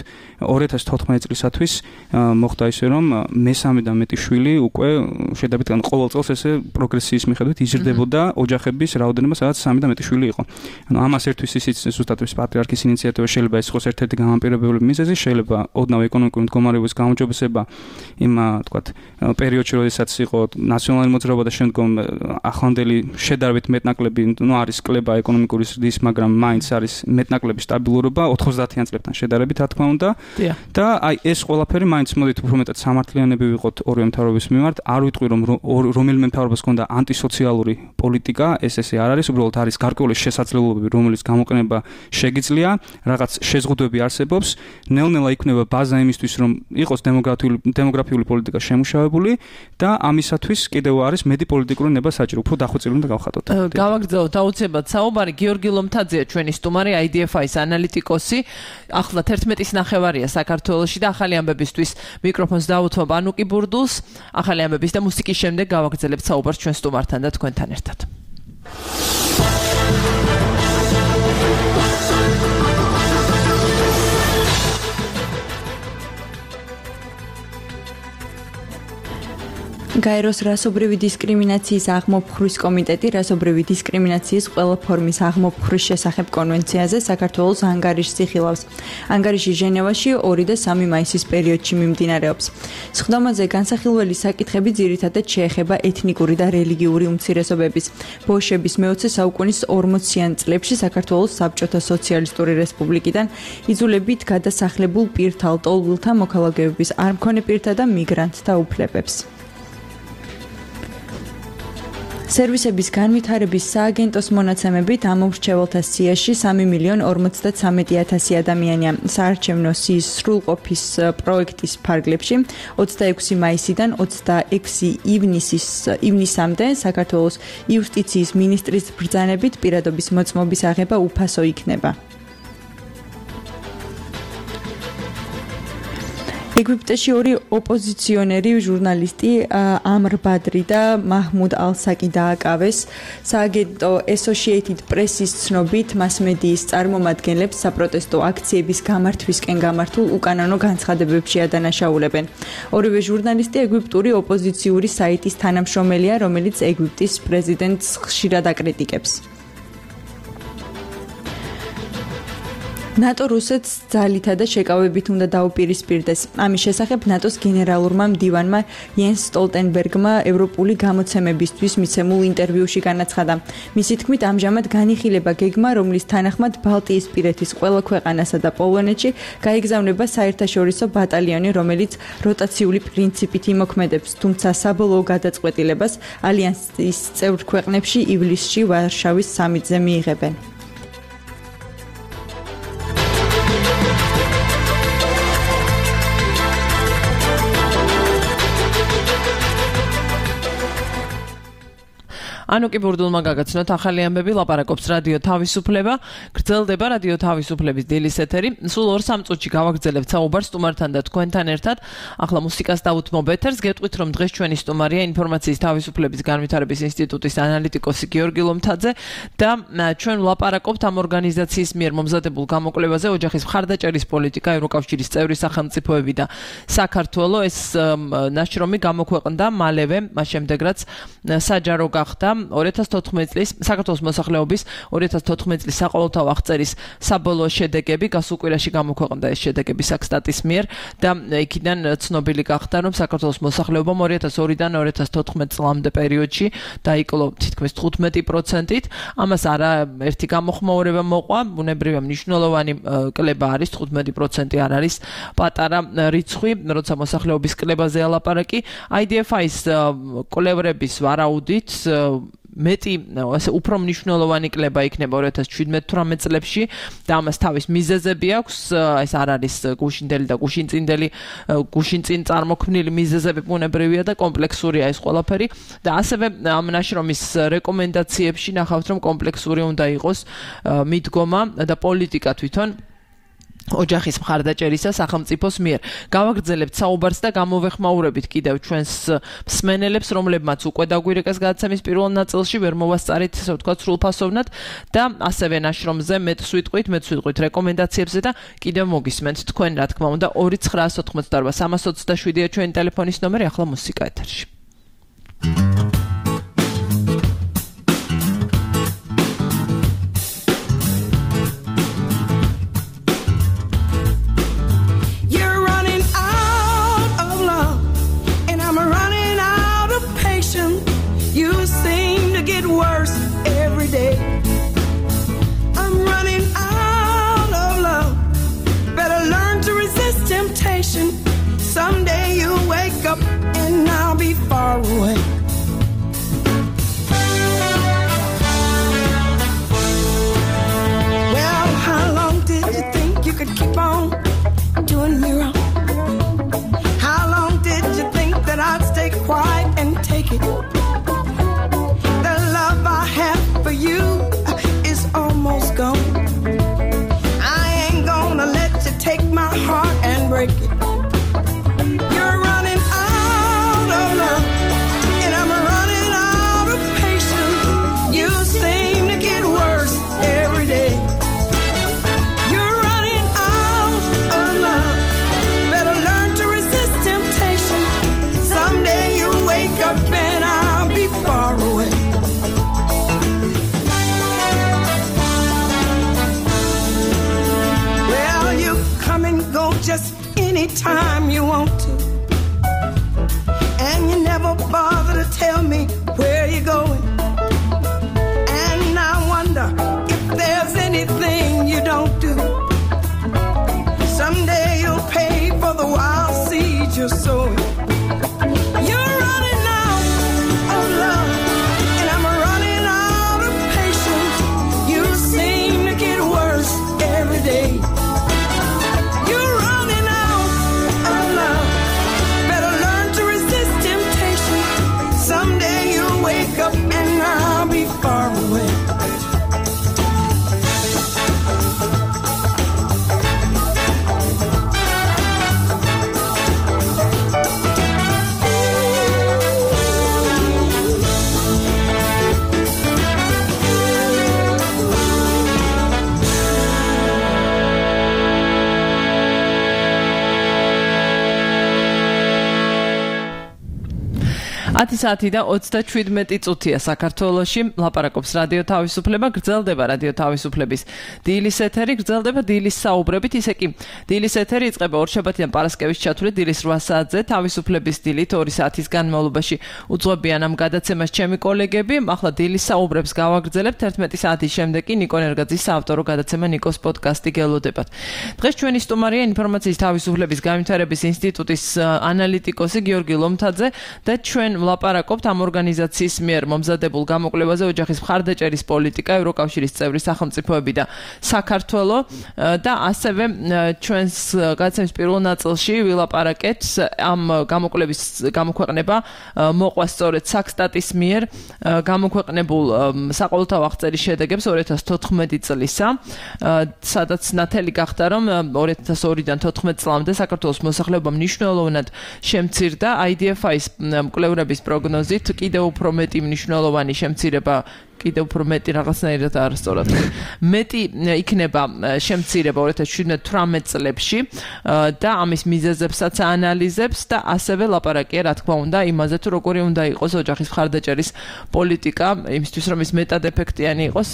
ორი ათას თოთხმეტი წლისათვის მოხდა ისე რომ მესამე და მეტი შვილი უკვე შედარებით ყოველ წელს ესე პროგრესიის მიხედვით იზრდებოდა ოჯახების რაოდენობა, სადაც სამი და მეტი შვილი იყო. ანუ ამას ერთვის ისიც ზუსტად ის პატრიარქის ინიციატივა შეიძლება ეს იყოს ერთ-ერთი გამამპირებელი მიზეზი, შეიძლება ოდნავ ეკონომიკური მდგომარეობის გაუმჯობესება იმ თქვათ პერიოდში, როდესაც იყო ნაციონალური მოძრაობა და შემდგომ ახლანდელი შედარებით მეტნაკლები, ну არის კლება ეკონომიკური ზრდის, მაგრამ მაინც არის მეტნაკლები სტაბილურობა ოთხმოცდაათიან წლებთან შედარებით, რა თქმა უნდა. და აი ეს ყველაფერი მაინც მოდით უფრო მეტად სამართლიანები ვიყოთ ორივე მთავრობის მიმართ. არ ვიტყვი რომ რომელიმე მთავრობას ჰქონდა ანტისოციალური პოლიტიკა, ეს ესე არ არის, უბრალოდ არის გარკვეული შესაძლებლობები, რომელიც გამოყენება შეგიძლია, რაღაც შეზღუდვები არსებობს, ნელ-ნელა იქნება ბაზა იმისთვის, რომ იყოს დემოგრაფიული დემოგრაფიული პოლიტიკა შემუშავებული და ამისათვის კიდევ არის მეტი პოლიტიკური ნება საჭირო, უფრო დახვეწილი უნდა გავხატოთ. გავაგრძელოთ აუცილებლად საუბარი. გიორგი ლომთაძეა ჩვენი სტუმარი, აი დი ეფ აის ანალიტიკოსი. ახლა თერთმეტის ნახევარია საქართველოში და ახალი ამბებისთვის მიკროფონს დავუთმობ ანუკი ბურდულს. ახალი ამბების და მუსიკის შემდეგ გავაგრძელებთ საუბარს ჩვენ სტუმართან და თქვენთან ერთად. გაეროს რასობრივი დისკრიმინაციის აღმოფხვრის კომიტეტი რასობრივი დისკრიმინაციის ყველა ფორმის აღმოფხვრის შესახებ კონვენციაზე საქართველოს ანგარიშს იხილავს. ანგარიში ჟენევაში ორი და სამი მაისის პერიოდში მიმდინარეობს. სხდომაზე განსახილველი საკითხები ძირითადად შეეხება ეთნიკური და რელიგიური უმცირესობების. ბოლშევების მეოცე საუკუნის ორმოციან წლებში საქართველოს საბჭოთა სოციალისტური რესპუბლიკიდან იძულებით გადასახლებულ პირთა, ლტოლვილთა მოქალაქეების, არ მქონე პირთა და მიგრანტთა უფლებებს. სერვისების განვითარების სააგენტოს მონაცემებით ამომრჩეველთა სიაში სამი მილიონი ორმოცდათვრამეტი ათასი ადამიანია. საარჩევნო სიის სრულყოფის პროექტის ფარგლებში ოცდაექვსი მაისიდან ოცდაექვსი ივნისის ივნისამდე საქართველოს იუსტიციის მინისტრის ბრძანებით პირადობის მოწმობის აღება უფასო იქნება. ეგვიპტეში ორი ოპოზიციონერი ჟურნალისტი ამრ ბადრი და მაჰმუდ ალ-საკი დააკავეს. სააგენტო Associated Press-ის ცნობით, მასმედიის წარმომადგენლებს საპროტესტო აქციების გამართვისკენ გამართულ უკანონო განცხადებებში ადანაშაულებენ. ორივე ჟურნალისტი ეგვიპტური ოპოზიციური საიტის თანამშრომელია, რომელიც ეგვიპტის პრეზიდენტს ხშირად აკრიტიკებს. ნატო რუსეთს ძალითა და შეკავებით უნდა დაუპირისპირდეს. ამის შესახებ ნატოს გენერალურმა მდივანმა იენს სტოლტენბერგმა ევროპული გამოცემებისთვის მიცემულ ინტერვიუში განაცხადა. მისი თქმით, ამჟამად განიხილება გეგმა, რომლის თანახმად ბალტიისპირეთის ყველა ქვეყანასა და პოლონეთში გაიგზავნება საერთაშორისო ბატალიონი, რომელიც როტაციული პრინციპით იმოქმედებს, თუმცა საბოლოო გადაწყვეტილებას ალიანსის წევრ ქვეყნებში ივლისში ვარშავის სამიტზე მიიღებენ. ანუკი ბურდულმა გაგაცნოთ ახალი ამბები, ლაპარაკობს რადიო თავისუფლება, გრძელდება რადიო თავისუფლების დილის ეთერი. სულ ორ-სამ წუთში გავაგრძელებთ საუბარს სტუმართან და თქვენთან ერთად. ახლა მუსიკას დავუთმობ ეთერს. გეტყვით, რომ დღეს ჩვენი სტუმარია ინფორმაციის თავისუფლების განვითარების ინსტიტუტის ანალიტიკოსი გიორგი ლომთაძე და ჩვენ ვლაპარაკობთ ამ ორგანიზაციის მიერ მომზადებულ გამოკვლევაზე ოჯახის მხარდაჭერის პოლიტიკა, ევროკავშირის წევრი სახელმწიფოები და საქართველო. ეს ნაშრომი გამოქვეყნდა მალევე, მას შემდეგ რაც საჯარო გახდა ორი ათას თოთხმეტი წლის საქართველოს მოსახლეობის ორი ათას თოთხმეტი წლის საყოველთაო აღწერის საბოლოო შედეგები გასულ კვირაში გამოქვეყნდა ეს შედეგები საქსტატის მიერ და იქიდან ცნობილი გახდა, რომ საქართველოს მოსახლეობამ ორი ათას ორიდან ორი ათას თოთხმეტი წლამდე პერიოდში დაიკლო თითქმის თხუთმეტი პროცენტით. ამას არა ერთი გამოხმაურება მოყვა, ბუნებრივია მნიშვნელოვანი კლება არის, თხუთმეტი პროცენტი არ არის პატარა რიცხვი, როცა მოსახლეობის კლებაზე ალაპარაკი. აი დი ეფ აის კვლევრების ვარაუდით მეტი ასე უფრო მნიშვნელოვანი კლება იქნება ორი ათას შვიდმეტ-თვრამეტ წლებში და ამას თავის მიზეზები აქვს. ეს არ არის გუშინდელი და გუშინწინდელი გუშინწინ წარმოქმნილი მიზეზები, ბუნებრივია და კომპლექსურია ეს ყველაფერი და ასევე ამ ნაშრომის რეკომენდაციებში ნახავთ, რომ კომპლექსური უნდა იყოს მიდგომა და პოლიტიკა თვითონ ოჯახის მხარდაჭერისა სახელმწიფოს მიერ. გავაგრძელებთ საუბარს და გამოვეხმაურებით კიდევ ჩვენს მსმენელებს, რომლებმაც უკვე დაგვირეკეს გადაცემის პირველ ნაწილში, ვერ მოვასწარით, ასე ვთქვათ, სრულფასოვნად და ასევე ნაშრომზე მეტს ვიტყვით, მეტს ვიტყვით რეკომენდაციებზე და კიდევ მოგისმენთ თქვენ, რა თქმა უნდა, ორი ცხრაას ოთხმოცდაორ სამას ოცდაშვიდია ჩვენი ტელეფონის ნომერი, ახლა მუსიკა ეთერში. Someday you'll wake up and I'll be far away. Well, how long did you think you could keep on doing me wrong? How long did you think that I'd stay quiet and take it? The love I have for you is almost gone. I ain't gonna let you take my heart and break it. Just anytime you want to, and you never bother to tell me where you're going. And I wonder if there's anything you don't do. Someday you'll pay for the wild seeds you're sowing. You're running out of love, and I'm running out of patience. You seem to get worse every day. Up and I'll be far away. ათი საათი და ოცდაშვიდმეტი წუთია საქართველოში. ლაპარაკობს რადიო თავისუფლება, გრძელდება რადიო თავისუფლების დილის ეთერი, გრძელდება დილის საუბრებით, ისე კი დილის ეთერი იწყება ორშაბათიდან პარასკევის ჩათვლით დილის რვა საათზე თავისუფლების დილით ორი საათის განმავლობაში უძღვებიან ამ გადაცემას ჩემი კოლეგები. ახლა დილის საუბრებს გავაგრძელებთ ერთმეტი საათის შემდეგ კი ნიკო ნერგაძის საავტორო გადაცემა ნიკოს პოდკასტი გელოდებათ. დღეს ჩვენი სტუმარია ინფორმაციის თავისუფლების განვითარების ინსტიტუტის ანალიტიკოსი გიორგი ლომთაძე და ჩვენ ლაპარაკობთ ამ ორგანიზაციის მიერ მომზადებულ გამოკვლევაზე ოჯახის მხარდაჭერის პოლიტიკა, ევროკავშირის წევრი სახელმწიფოები და საქართველო და ასევე ჩვენს გადაცემის პირველ ნაწილში ვილაპარაკეთ ამ გამოკვლევის გამოქვეყნება მოყვა სწორედ საქსტატის მიერ გამოქვეყნებულ საყოველთაო აღწერის შედეგებს ორი ათას თოთხმეტი წლისა, სადაც ნათელი გახდა, რომ ორი ათას ორიდან თოთხმეტ წლამდე საქართველოს მოსახლეობა მნიშვნელოვნად შემცირდა. აი დი ეფ აის მკვლევრების პროგნოზით კიდევ უფრო მეტი მნიშვნელოვანი შემცირება კიდევ უფრო მეტი რაღაცნაირად არასწორად მეტი იქნება შემცირება ორი ათას შვიდმეტ წლებში და ამის მიზეზებსაც აანალიზებს და ასევე ლაპარაკია რა თქმა უნდა იმაზე თუ როგორი უნდა იყოს ოჯახის მხარდაჭერის პოლიტიკა იმისთვის რომ ის მეტად ეფექტიანი იყოს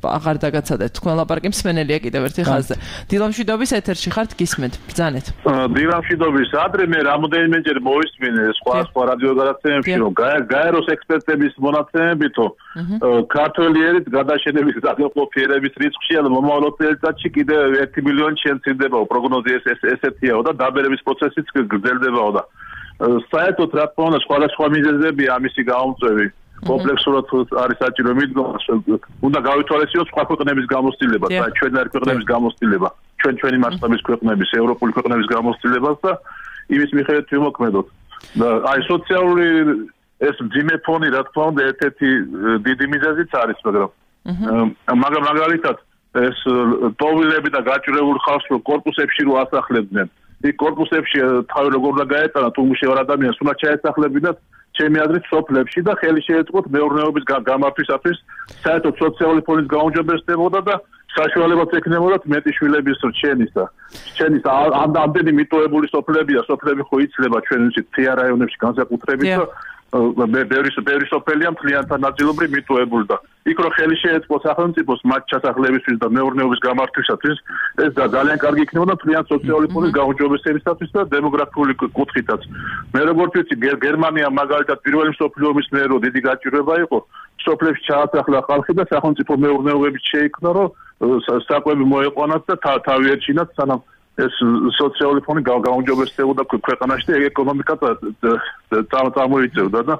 აღარ დაგაცადეთ თქვენ ლაპარაკი მსმენელია კიდევ ერთი ხაზზე დილამშვიდობის ეთერში ხართ გისმენთ ბრძანეთ დილამშვიდობის ადრე მე რამოდენიმეჯერ მოვისმინე სხვა სხვა რადიო გადაცემებში რომ გაეროს ექსპერტების მონაცემებითო ქართველი ერით გადაშენების გადაყოფიერების რისკში ან მომავალ წელიწადში კიდევ ერთი მილიონი შემცირდებაო პროგნოზი ეს ესეთიაო და დაბერების პროცესიც გრძელდებაო და საერთოდ რა თქმა უნდა სხვადასხვა მიზეზებია ამისი გამომწვევი კომპლექსურად არის საჭირო მიდგომა უნდა გავითვალისწინოთ სხვა ქვეყნების გამოცდილება და ჩვენი ქვეყნების გამოცდილება ჩვენ ჩვენი მასშტაბის ქვეყნების ევროპული ქვეყნების გამოცდილებას და იმის მიხედვით ვიმოქმედოთ და აი სოციალური ეს ძიმე ფონი რა თქმა უნდა ერთ-ერთი დიდი მიზეზიც არის მაგრამ მაგრამ მაგალითად ეს ტოვილები და გაჭირებულ ხალხს კორპუსებში რო ასახლებდნენ იქ კორპუსებში თავი როგორ უნდა გაეტანა თუ მუშაობ ადამიანს უნდა ჩაესახლებინათ ჩემი აზრით სოფლებში და ხელი შეეწყოთ მეურნეობის გამართვისათვის საერთოდ სოციალური ფონის გაუმჯობესებოდა და საშუალებაც ექნებოდათ მეტი შვილების რჩენისა რჩენისა ამდენი მიტოვებული სოფლებია სოფლები ხო იცლება ჩვენ ვიცით თია რაიონებში განსაკუთრებით და ბევრი ბევრი სოფელია მთლიანად ნაწილობრივ მიტოვებული და იქ რო ხელი შეეწყო სახელმწიფოს მათ ჩასახლებისთვის და მეურნეობის გამართვისათვის ეს ძალიან კარგი იქნებოდა მთლიან სოციალური ფონის გაუმჯობესებისათვის და დემოგრაფიული კუთხითაც. მე როგორც ვიცი გერმანია მაგალითად პირველი მსოფლიო ომის მერე რო დიდი გაჭირვება იყო სოფლებში ჩაასახლა ხალხი და სახელმწიფო მეურნეობებით შეიქმნა რომ საკვები მოეყვანათ და თავი ერჩინათ სანამ ეს სოციალური ფონი გაუმჯობესებოდა ქვეყანაში და ეკონომიკა წარმოიწევდა და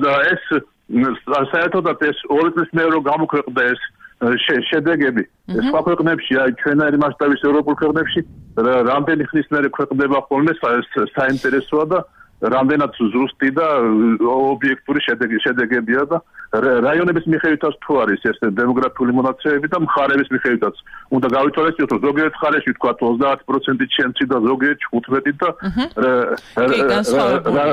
და ეს საერთოდაც ეს ორი წლის მერე რომ გამოქვეყნდა ეს შედეგები სხვა ქვეყნებში აი ჩვენაირი მასშტაბის ევროპულ ქვეყნებში რამდენი ხნის მერე ქვეყნდება ხოლმე საინტერესოა და რამდენად ზუსტი და ობიექტური შედეგებია და რაიონების მიხედვითაც თუ არის ეს დემოგრაფიული მონაცემები და მხარების მიხედვითაც უნდა გავითვალისწინოთ რომ ზოგიერთ მხარეში თქვა ოცდაათი პროცენტი ჩენცი და ზოგიერთში თხუთმეტი და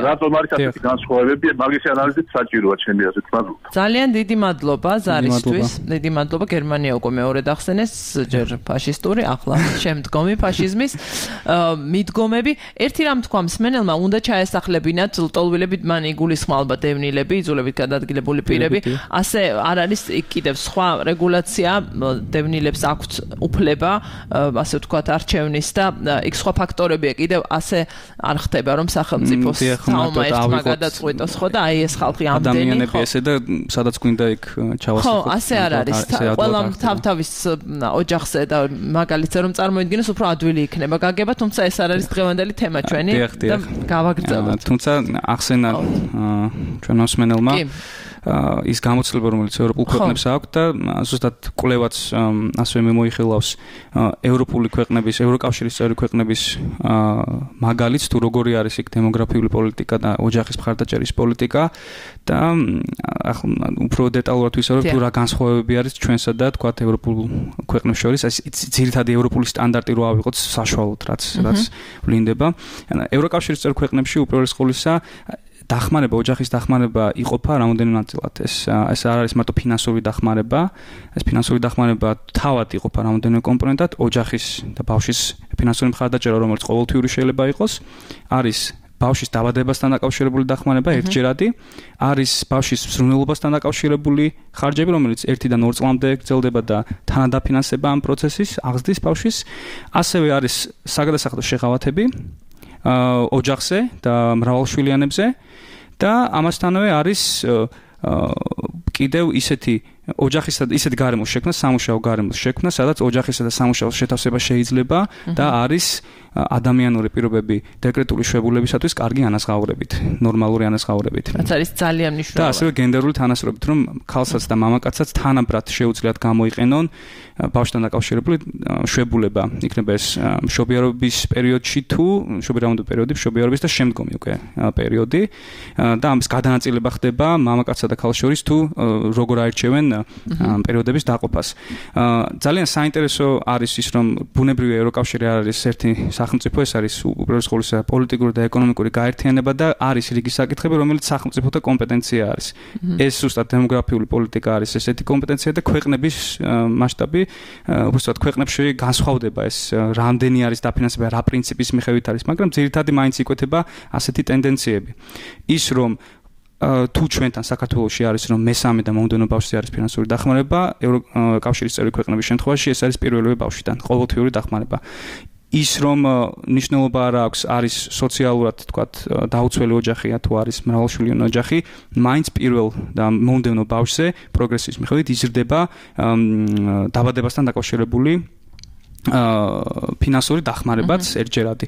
რატომ არის ასეთი განსხვავებები მაგის ანალიზით საჭიროა ჩემი აზრით. მადლობა. ძალიან დიდი მადლობა ზარისთვის. დიდი მადლობა. გერმანია უკვე მეორედ ახსენეს ჯერ ფაშისტური ახლა შემდგომი ფაშიზმის მიდგომები. ერთი რამ თქვა მსმენელმა უნდა ჩაესახლებინათ ლტოლვილები მან იგულისხმება დევნილები იძულებით გადადგილებული პირები ასე არ არის კიდევ სხვა რეგულაცია დევნილებს აქვთ უფლება ასე ვთქვათ არჩევნის და იქ სხვა ფაქტორებია კიდევ ასე არ ხდება რომ სახელმწიფოს საომა ერთმა გადაწყვეტოს ხო და აი ეს ხალხი ამდენი ადამიანები ესე და სადაც გვინდა იქ ჩავასახოთ. ხო ასე არ არის ყველამ თავთავის ოჯახზე და მაგალითზე რომ წარმოიდგინოს უფრო ადვილი იქნება გაგება თუმცა ეს არ არის დღევანდელი თემა ჩვენი და გავაგრძელებთ. თუმცა ახსენა ჩვენ მოსმენელმა ის გამოცდილება რომელიც ევროპულ ქვეყნებს აქვს და ზუსტად კვლევაც ასევე მიმოიხილავს ევროპული ქვეყნების, ევროკავშირის წევრი ქვეყნების მაგალითს თუ როგორი არის იქ დემოგრაფიული პოლიტიკა და ოჯახის მხარდაჭერის პოლიტიკა და ახლა უფრო დეტალურად ვისაუბრებ თუ რა განსხვავებები არის ჩვენსა და თქვათ ევროპულ ქვეყნებს შორის ეს ძირითადი ევროპული სტანდარტი რო ავიღოთ საშუალოდ რაც რაც ვლინდება. ევროკავშირის წევრი ქვეყნებში უპირველეს ყოვლისა დახმარება, ოჯახის დახმარება იყოფა რამოდენიმე ნაწილად. ეს ეს არ არის მარტო ფინანსური დახმარება, ეს ფინანსური დახმარება თავად იყოფა რამოდენიმე კომპონენტად, ოჯახის და ბავშვის ფინანსური მხარდაჭერა, რომელიც ყოველთვიური შეიძლება იყოს, არის ბავშვის დაბადებასთან დაკავშირებული დახმარება ერთჯერადი, არის ბავშვის ზრუნველობასთან დაკავშირებული ხარჯები, რომელიც ერთიდან ორ წლამდე გრძელდება და თანადაფინანსება ამ პროცესის აღზრდის ბავშვის, ასევე არის საგადასახადო შეღავათები ოჯახზე და მრავალშვილიანებზე და ამასთანავე არის კიდევ ისეთი ოჯახისა და ისეთი გარემოს შექმნა, სამუშაო გარემოს შექმნა, სადაც ოჯახისა და სამუშაოს შეთავსება შეიძლება და არის ადამიანური პირობები დეკრეტული შვებულებისათვის კარგი ანაზღაურებით, ნორმალური ანაზღაურებით. რაც არის ძალიან მნიშვნელოვანი. და ასევე გენდერული თანასწორობით, რომ ქალსაც და მამაკაცსაც თანაბრად შეუძლიათ გამოიყენონ ბავშვთან დაკავშირებული შვებულება. იქნება ეს მშობიარობის პერიოდში თუ მშობიარობის პერიოდი, მშობიარობის და შემდგომი უკვე პერიოდი და ამის გადანაწილება ხდება მამაკაცსა და ქალს შორის თუ როგორ აირჩევენ პერიოდების დაყოფას. ძალიან საინტერესო არის ის, რომ ბუნებრივი ევროკავშირი არ არის ერთი სახელმწიფო, ეს არის უპირველეს ყოვლისა პოლიტიკური და ეკონომიკური გაერთიანება და არის რიგი საკითხები, რომელიც სახელმწიფოთა კომპეტენცია არის. ეს ზუსტად დემოგრაფიული პოლიტიკა არის ესეთი კომპეტენცია და ქვეყნების მასშტაბი, უბრალოდ ქვეყნებში განსხვავდება ეს რამდენი არის დაფინანსება, რა პრინციპის მიხედვით არის, მაგრამ ძირითადად მაინც იკვეთება ასეთი ტენდენციები. ის რომ თუ ჩვენთან საქართველოში არის რომ მესამე და მომდევნო ბავშვზე არის ფინანსური დახმარება, ევროკავშირის წევრი ქვეყნების შემთხვევაში ეს არის პირველივე ბავშვიდან, ყოველთვიური დახმარება. ის რომ ნიშნულობა არ აქვს, არის სოციალურად თქვათ დაუცველი ოჯახია თუ არის მრავალშვილიანი ოჯახი, მაინც პირველ და მომდევნო ბავშვზე პროგრესის მიხედვით იზრდება დაბადებასთან დაკავშირებული ფინანსური დახმარებაც ერთჯერადი.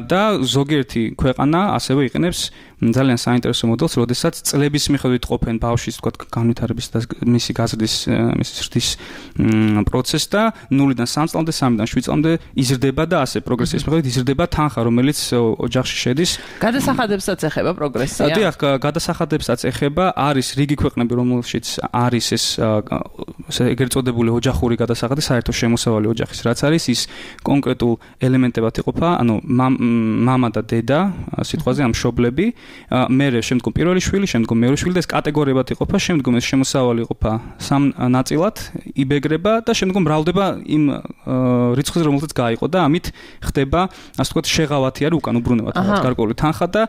და ზოგიერთი ქვეყანა ასევე იყენებს ძალიან საინტერესო მოდელს, როდესაც წლების მიხედვით ყოფენ ბავშვის თქვათ განვითარების და მისი გაზრდის მისი ზრდის პროცესს და ნულიდან სამ წლამდე, სამიდან შვიდ წლამდე იზრდება და ასე პროგრესის მიხედვით იზრდება თანხა, რომელიც ოჯახში შედის. გადასახადებსაც ეხება პროგრესია. დიახ, გადასახადებსაც ეხება, არის რიგი ქვეყნები, რომელშიც არის ეს ეგრეთ წოდებული ოჯახური გადასახადი, საერთო შემოსავალი ოჯახის, რაც რაც არის ის კონკრეტულ ელემენტებად იყოფა, ანუ მამა და დედა, სიტყვაზე ამ მშობლები, მერე შემდგომ პირველი შვილი, შემდგომ მეორე შვილი და ეს კატეგორიებად იყოფა, შემდგომ ეს შემოსავალი იყოფა სამ ნაწილად, იბეგრება და შემდგომ მრავლდება იმ რიცხვზე, რომელზეც გაიყო და ამით ხდება, ასე ვთქვათ, შეღავათი არის უკან უბრუნებად გარკვეული თანხა და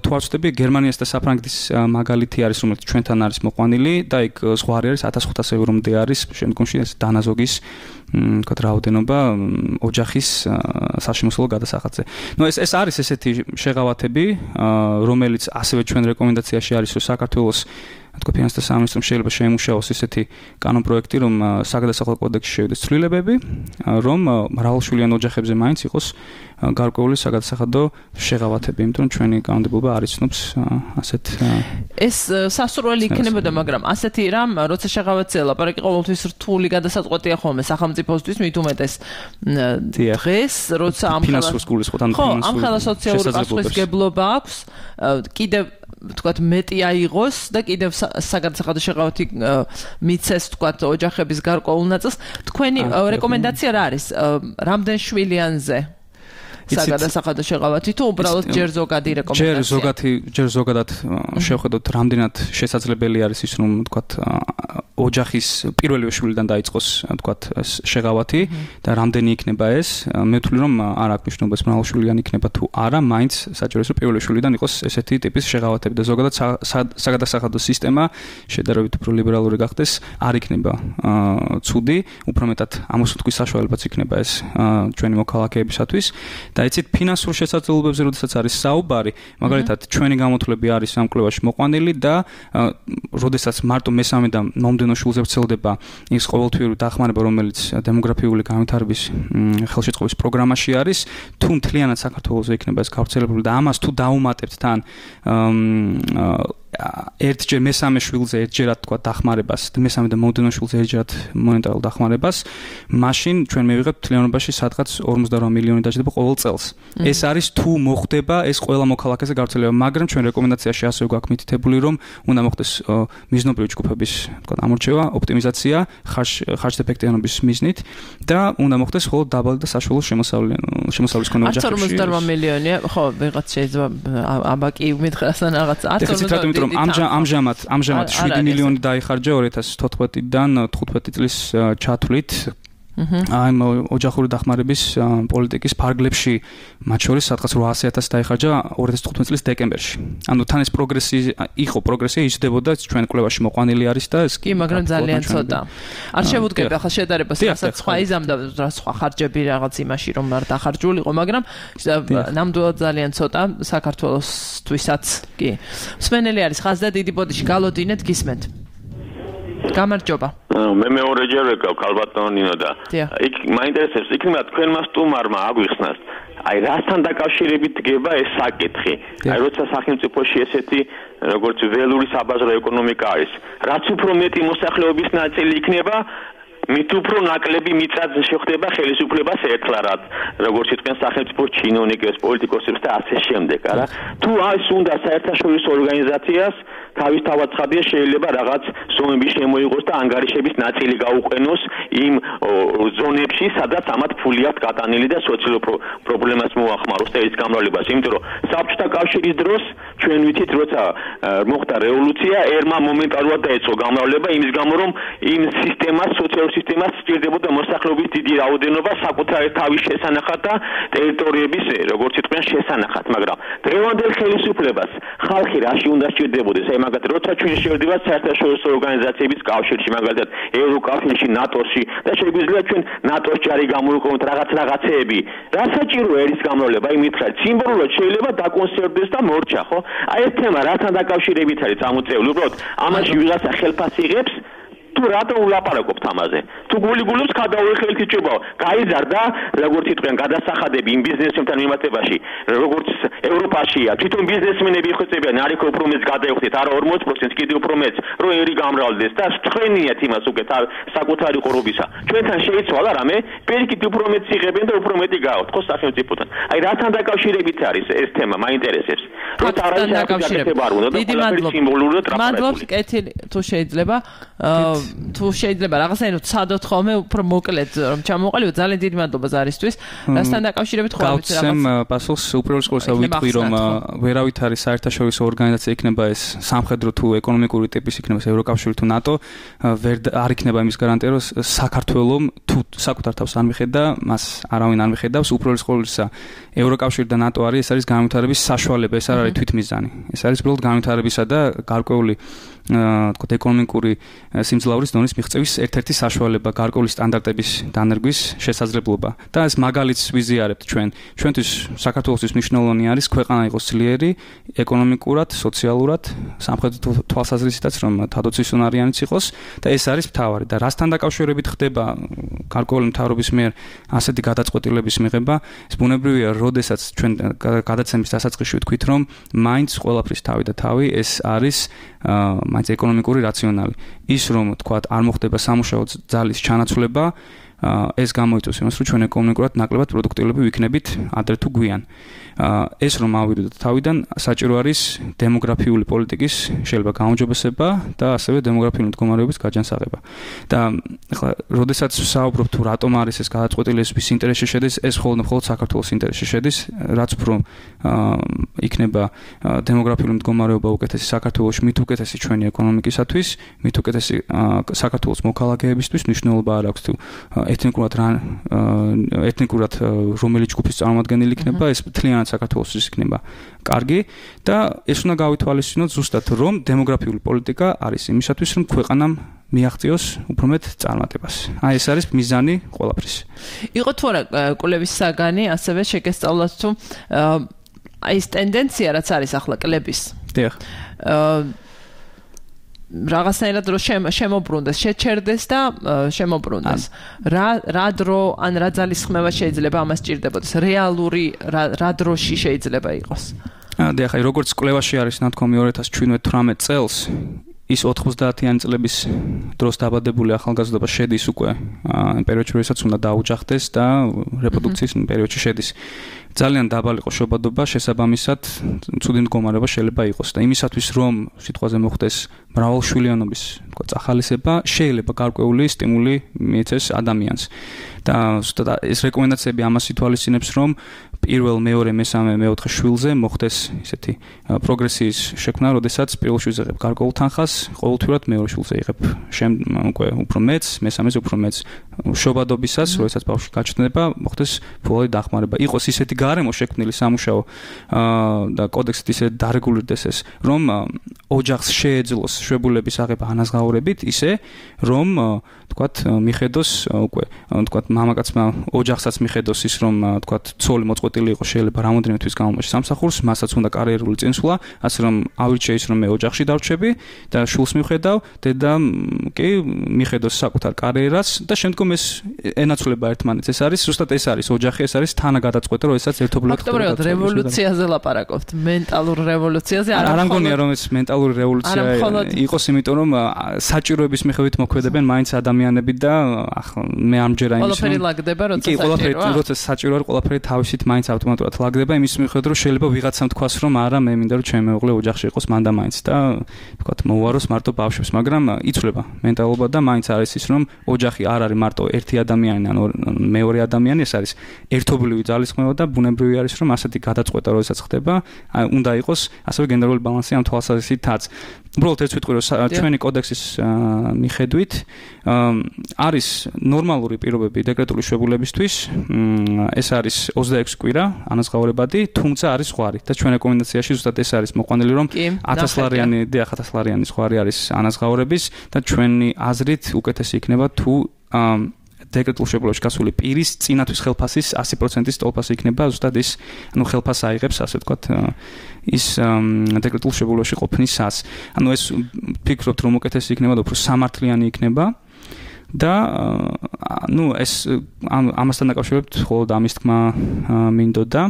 თუ არ ვცდები, გერმანიას და საფრანგეთის მაგალითი არის, რომელიც ჩვენთან არის მოყვანილი და იქ ზღვარი არის ათას ხუთასი ევრომდე არის, შემდგომში ეს დანაზოგის ვთქვათ რაოდენობა ოჯახის საშემოსავლო გადასახადზე. ნუ ეს ეს არის ესეთი შეღავათები, რომელიც ასევე ჩვენ რეკომენდაციაში არის, რომ საქართველოს თქო ფინანსთა სამინისტრომ შეიძლება შეემუშაოს ესეთი კანონპროექტი, რომ საგადასახადო კოდექსში შევიდეს ცვლილებები, რომ მრავალშვილიან ოჯახებზე მაინც იყოს გარკვეული საგადასახადო შეღავათები, იმიტომ რომ ჩვენი კანონმდებლობა არ იცნობს ასეთ ეს სასურველი იქნებოდა, მაგრამ ასეთი რამ, როცა შეღავათზე ლაპარაკი ყოველთვის რთული გადასაწყვეტია ხოლმე სახელმწიფოსთვის, მით უმეტეს დღეს, როცა ამ ფინანსურ სკოლის ხო ამ ხელა სოციალური პასუხისმგებლობა აქვს, კიდევ ვთქვათ მეტი აიღოს და კიდევ საგადასახადო შეღავათი მიცეს ვთქვათ ოჯახების გარკვეულ ნაწილს. თქვენი რეკომენდაცია რა არის? რამდენ შვილიანზე საგადასახადო შეღავათი თუ უბრალოდ ჯერ ზოგადი რეკომენდაცია? ჯერ ზოგადი, ჯერ ზოგადად შევხედოთ რამდენად შესაძლებელი არის ის, რომ ვთქვათ ოჯახის პირველი შვილიდან დაიწყოს ვთქვათ ეს შეღავათი და რამდენი იქნება ეს? მე ვთვლი რომ არ აქვს მნიშვნელობას მრავალშვილიანი იქნება თუ არა, მაინც საჭიროა რომ პირველი შვილიდან იყოს ესეთი ტიპის შეღავათები და ზოგადად საგადასახადო სისტემა შედარებით უფრო ლიბერალური გახდეს, არ იქნება ცუდი, უფრო მეტად ამოსუნთქვის საშუალებაც იქნება ეს ჩვენი მოქალაქეებისათვის. და იცით ფინანსურ შესაძლებლობებზე როდესაც არის საუბარი, მაგალითად ჩვენი გამოთვლები არის ამ კვლევაში მოყვანილი და როდესაც მარტო მესამე და მომდევნო შვილზე ვრცელდება ის ყოველთვიური დახმარება, რომელიც დემოგრაფიული განვითარების ხელშეწყობის პროგრამაში არის, თუ მთლიანად საქართველოს იქნება ეს გავრცელებული და ამას თუ დაუმატებთ თან ერთჯერ მესამე შვილზე ერთჯერად თქვა დახმარებას, მესამე და მომდევნო შვილზე ერთჯერად მონეტარულ დახმარებას, მაშინ ჩვენ მივიღებთ მთლიანობაში სადღაც ორმოცდაორი მილიონი დაჯდება ყოველ წელს. ეს არის თუ მოხდება ეს ყველა მოქალაქეზე გავრცელება, მაგრამ ჩვენ რეკომენდაციაში ასევე გვაქვს მითითებული, რომ უნდა მოხდეს მიზნობრივი ჯგუფების თქვა ამორჩევა, ოპტიმიზაცია, ხარჯ-ეფექტიანობის მიზნით და უნდა მოხდეს მხოლოდ დაბალი და საშუალო შემოსავლის მქონე ოჯახებში. ორმოცდაორი მილიონი, ხო, ვიღაც შეიძლება აბაკი მითხრასთან რაღაც ამიტომ ამჟამად ამჟამად შვიდი მილიონი დაიხარჯა ორი ათას თოთხმეტიდან თხუთმეტი წლის ჩათვლით აი ოჯახური დახმარების პოლიტიკის ფარგლებში, მათ შორის სადღაც რვაასი ათასი დაიხარჯა ორი ათას თხუთმეტი წლის დეკემბერში. ანუ თან ეს პროგრესი იყო, პროგრესია იზრდებოდა, ჩვენ კვლევაში მოყვანილი არის და ეს კი, მაგრამ ძალიან ცოტა. არ შევუდგები ახლა შედარებას, რასაც სხვა იზამდა, რა სხვა ხარჯები რაღაც იმაში, რომ არ დახარჯულიყო, მაგრამ ნამდვილად ძალიან ცოტა საქართველოსთვისაც. კი. მსმენელი არის ხაზდა დიდი ბოდიში, გალოდინეთ, გისმენთ. გამარჯობა. მე მეორეჯერ ვეკავ ქალბატონო ნინო და იქ მაინტერესებს იქნება თქვენმა სტუმარმა აგვიხსნას აი რასთან დაკავშირებით დგება ეს საკითხი. აი როცა სახელმწიფოში ესეთი როგორც ველური საბაზრო ეკონომიკა არის, რაც უფრო მეტი მოსახლეობის ნაწილი იქნება, მით უფრო ნაკლები მიწაც შეხვდება ხელისუფლებას ერთხლად, როგორც იყვნენ სახელმწიფო ჩინოვნიკებს, პოლიტიკოსებს და ასე შემდეგ, არა? თუ აი უნდა საერთაშორისო ორგანიზაციას თავის თავაცხადია შეიძლება რაღაც ზონების შემოიღოს და ანგარიშების ნაწილი გაუყენოს იმ ზონებში, სადაც ამათ ფული აქვს გატანილი და სოციალურ პრობლემას მოახმაროს და ის გამრავლებას. იმიტომ რომ საბჭოთა კავშირის დროს ჩვენ ვიცით, როცა მოხდა რევოლუცია, ერმა მომენტალურად დაიწყო გამრავლება იმის გამო, რომ იმ სისტემას, სოციალურ სისტემას სჭირდებოდა მოსახლეობის დიდი რაოდენობა საკუთარი თავის შესანახად და ტერიტორიების, როგორც იყვნენ, შესანახად, მაგრამ დღევანდელ ხელისუფლებას ხალხი რაში უნდა სჭირდებოდეს? აი მაგათ როცა ჩვენ შევდივართ საერთაშორისო ორგანიზაციების კავშირში, მაგალითად ევროკავშირში, ნატოში და შეგვიძლია ჩვენ ნატოს ჯარი გამოვიყენოთ რაღაც რაღაცეები. რა საჭიროა ერის გამრავლება? აი მითხრათ, სიმბოლურად შეიძლება დაკონსერვდეს და მორჩა, ხო? აი ეს თემა რასთან დაკავშირებით არის წამოწეული? უბრალოდ ამაში ვიღაცა ხელფასი იღებს თუ რატომ ვლაპარაკობთ ამაზე? თუ გულიგულებს გადაუეხელით იჭებაო. გაიზარდა, როგორც იყვნენ გადასახადები იმ ბიზნესებთან მიმართებაში, როგორც ევროპაშია. თვითონ ბიზნესმენები იხვეწებიან, არიქო უფრო მეც გადაიხდეთ, არა ორმოცი პროცენტი, კიდევ უფრო მეც, რომ ერი გამრავლდეს და თქვენიათ იმას უკეთ საკუთარი ყურობისა. ჩვენთან შეიცვალა რამე, პირიქით უფრო მეც იღებენ და უფრო მეტი გააქვთ, ხო სახელმწიფოთან. აი რასთან დაკავშირებით არის ეს თემა, მაინტერესებს. ფაქტთან დაკავშირებით. დიდი მადლობა. მადლობს კეთილი თუ შეიძლება თუ შეიძლება რაღაცნაირად სადოთ ხოლმე უფრო მოკლედ რომ ჩამოყალიბო ძალიან დიდი მადლობა ზარისთვის. რასთან დაკავშირებით ხო ვიცი რაღაც. გავცემ პასუხს უპირველეს ყოვლისა ვიტყვი რომ ვერავით არის საერთაშორისო ორგანიზაცია იქნება ეს სამხედრო თუ ეკონომიკური ტიპის იქნება ევროკავშირი თუ ნატო ვერ არ იქნება იმის გარანტია რომ საქართველოს თუ საკუთარ თავს არ მიხედა მას არავინ არ მიხედავს უპირველეს ყოვლისა ევროკავშირი და ნატო არის ეს არის განვითარების საშუალება ეს არ არის თვითმიზანი ეს არის უბრალოდ განვითარებისა და გარკვეული თქო ეკონომიკური სიმძლავრის დონის მიღწევის ერთ-ერთი საშუალება გარკვეული სტანდარტების დანერგვის შესაძლებლობა და ეს მაგალითს ვიზიარებთ ჩვენ ჩვენთვის საქართველოსთვის მნიშვნელოვანი არის ქვეყანა იყოს ძლიერი ეკონომიკურად სოციალურად სამხედრო თვალსაზრისითაც რომ თადოცისუნარიანიც იყოს და ეს არის მთავარი და რასთან დაკავშირებით ხდება გარკვეული მთავრობის მიერ ასეთი გადაწყვეტილების მიღება ეს ბუნებრივია როდესაც ჩვენ გადაცემის დასაწყისში ვთქვით რომ მაინც ყველაფრის თავი და თავი ეს არის მაინც ეკონომიკური რაციონალი ის რომ თქვათ არ მოხდება სამუშაო ძალის ჩანაცვლება ეს გამოიწვევს იმას რომ ჩვენ ეკონომიკურად ნაკლებად პროდუქტიულები ვიქნებით ადრე თუ გვიან ეს რომ ავიდოთ თავიდან საჭირო არის დემოგრაფიული პოლიტიკის შეიძლება გაუმჯობესება და ასევე დემოგრაფიული მდგომარეობის გაჯანსაღება და ახლა როდესაც ვსაუბრობ თუ რატომ არის ეს გადაწყვეტილი ეს ვის ინტერესში შედის ეს მხოლოდ მხოლოდ საქართველოს ინტერესში შედის რაც უფრო იქნება დემოგრაფიული მდგომარეობა უკეთესი საქართველოში მით უკეთესი ჩვენი ეკონომიკისათვის მით უკეთესი საქართველოს მოქალაქეებისთვის მნიშვნელობა არ აქვს თუ ეთნიკურად ეთნიკურად რომელი ჯგუფის წარმომადგენელი იქნება ეს მთლიანად საქართველოს იქნება კარგი და ეს უნდა გავითვალისწინოთ ზუსტად რომ დემოგრაფიული პოლიტიკა არის იმისათვის რომ ქვეყანამ მიაღწიოს უფრო მეტ წარმატებას. აი ეს არის მიზანი ყველაფრის. იყო თუ არა კვლევის საგანი ასევე შეგესწავლათ თუ აი ეს ტენდენცია რაც არის ახლა კლების. დიახ. რაღაცნაირად რო შემოbrunდეს, შეჩერდეს და შემოbrunდეს. რა რა დრო ან რა ძალისხმევა შეიძლება ამას ჭირდებოდეს? რეალური რა დროში შეიძლება იყოს? დიახ, აი როგორც კვლევაში არის ნათქვამი ორი ათას თვრამეტ წელს ის ოთხმოცდაათიანი წლების დროს დაბადებული ახალგაზრდობა შედის უკვე პერიოდში, როდესაც უნდა დაუჯახდეს და რეპროდუქციის პერიოდში შედის. ძალიან დაბალი იყო შობადობა, შესაბამისად, ცუდი მდგომარეობა შეიძლება იყოს და იმისათვის რომ სიტყვაზე მოხდეს მრავალშვილიანობის თქო წახალისება, შეიძლება გარკვეული სტიმული მიეცეს ადამიანს. და ზუსტად ეს რეკომენდაციები ამას ითვალისწინებს, რომ პირველ, მეორე, მესამე, მეოთხე შვილზე მოხდეს ისეთი პროგრესიის შექმნა, როდესაც პირველ შვილზე იღებ გარკვეულ თანხას, ყოველთვიურად მეორე შვილზე იღებ უკვე უფრო მეც, მესამეზე უფრო მეც. შობადობისას, როდესაც ბავშვი გაჩნდება, მოხდეს ფულის დახმარება. იყოს ისეთი გარემო შექმნილი სამუშაო და კოდექსით ისე დარეგულირდეს ეს, რომ ოჯახს შეეძლოს შვებულების აღება ანაზღაურებით, ისე რომ თქვათ მიხედოს უკვე თქვათ მამაკაცმა ოჯახსაც მიხედოს ის რომ თქვათ ცოლი მოწყვეტილი იყო შეიძლება რამოდენიმე თვის განმავლობაში სამსახურს მასაც უნდა კარიერული წინსვლა ასე რომ ავირჩიე ის რომ მე ოჯახში დავრჩები და შულს მივხედავ დედა კი მიხედოს საკუთარ კარიერას და შემდგომ ეს ენაცვლება ერთმანეთს ეს არის ზუსტად ეს არის ოჯახი ეს არის თანაგადაწყვეტა როდესაც ერთობლივად ფაქტობრივად რევოლუციაზე ლაპარაკობთ მენტალურ რევოლუციაზე არ ამგონია რომ ეს მენტალური რევოლუცია იყოს იმიტომ რომ საჭიროების მიხედვით მოქმედებენ მაინც ადამიანები და ახლა მე ამჯერა იმის ყველაფერი ლაგდება როცა კი ყველაფერი როცა საჭირო არის ყველაფერი თავისით მაინც ავტომატურად ლაგდება იმის მიხედვით რომ შეიძლება ვიღაცამ თქვას რომ არა მე მინდა რომ ჩემი მეუღლე ოჯახში იყოს მან და მაინც და ვთქვათ მოუაროს მარტო ბავშვებს მაგრამ იცვლება მენტალობა და მაინც არის ის რომ ოჯახი არ არის მარტო ერთი ადამიანი ან მეორე ადამიანი ეს არის ერთობლივი ძალისხმევა და ბუნებრივი არის რომ ასეთი გადაწყვეტა როდესაც ხდება უნდა იყოს ასევე გენდერული ბალანსი ამ თვალსაზრისითაც უბრალოდ ეს ვიტყვი რომ ჩვენი კოდექსის მიხედვით არის ნორმალური პირობები დეკრეტული შვებულებისთვის ეს არის ოცდაექვსი კვირა ანაზღაურებადი თუმცა არის ზღვარი და ჩვენ რეკომენდაციაში ზუსტად ეს არის მოყვანილი რომ ათას ლარიანი და ათას ლარიანი ზღვარი არის ანაზღაურების და ჩვენი აზრით უკეთესი იქნება თუ დეკრეტულ შვებულებში გასული პირის წინათვის ხელფასის ასი პროცენტის ტოლფასი იქნება ზუსტად ის ანუ ხელფასს აიღებს ასე ვთქვათ ის დეკრეტულ შვებულებში ყოფნისას ანუ ეს ფიქრობთ რომ უკეთესი იქნება და უფრო სამართლიანი იქნება და ნუ ეს ამასთან დაკავშირებით მხოლოდ ამის თქმა მინდოდა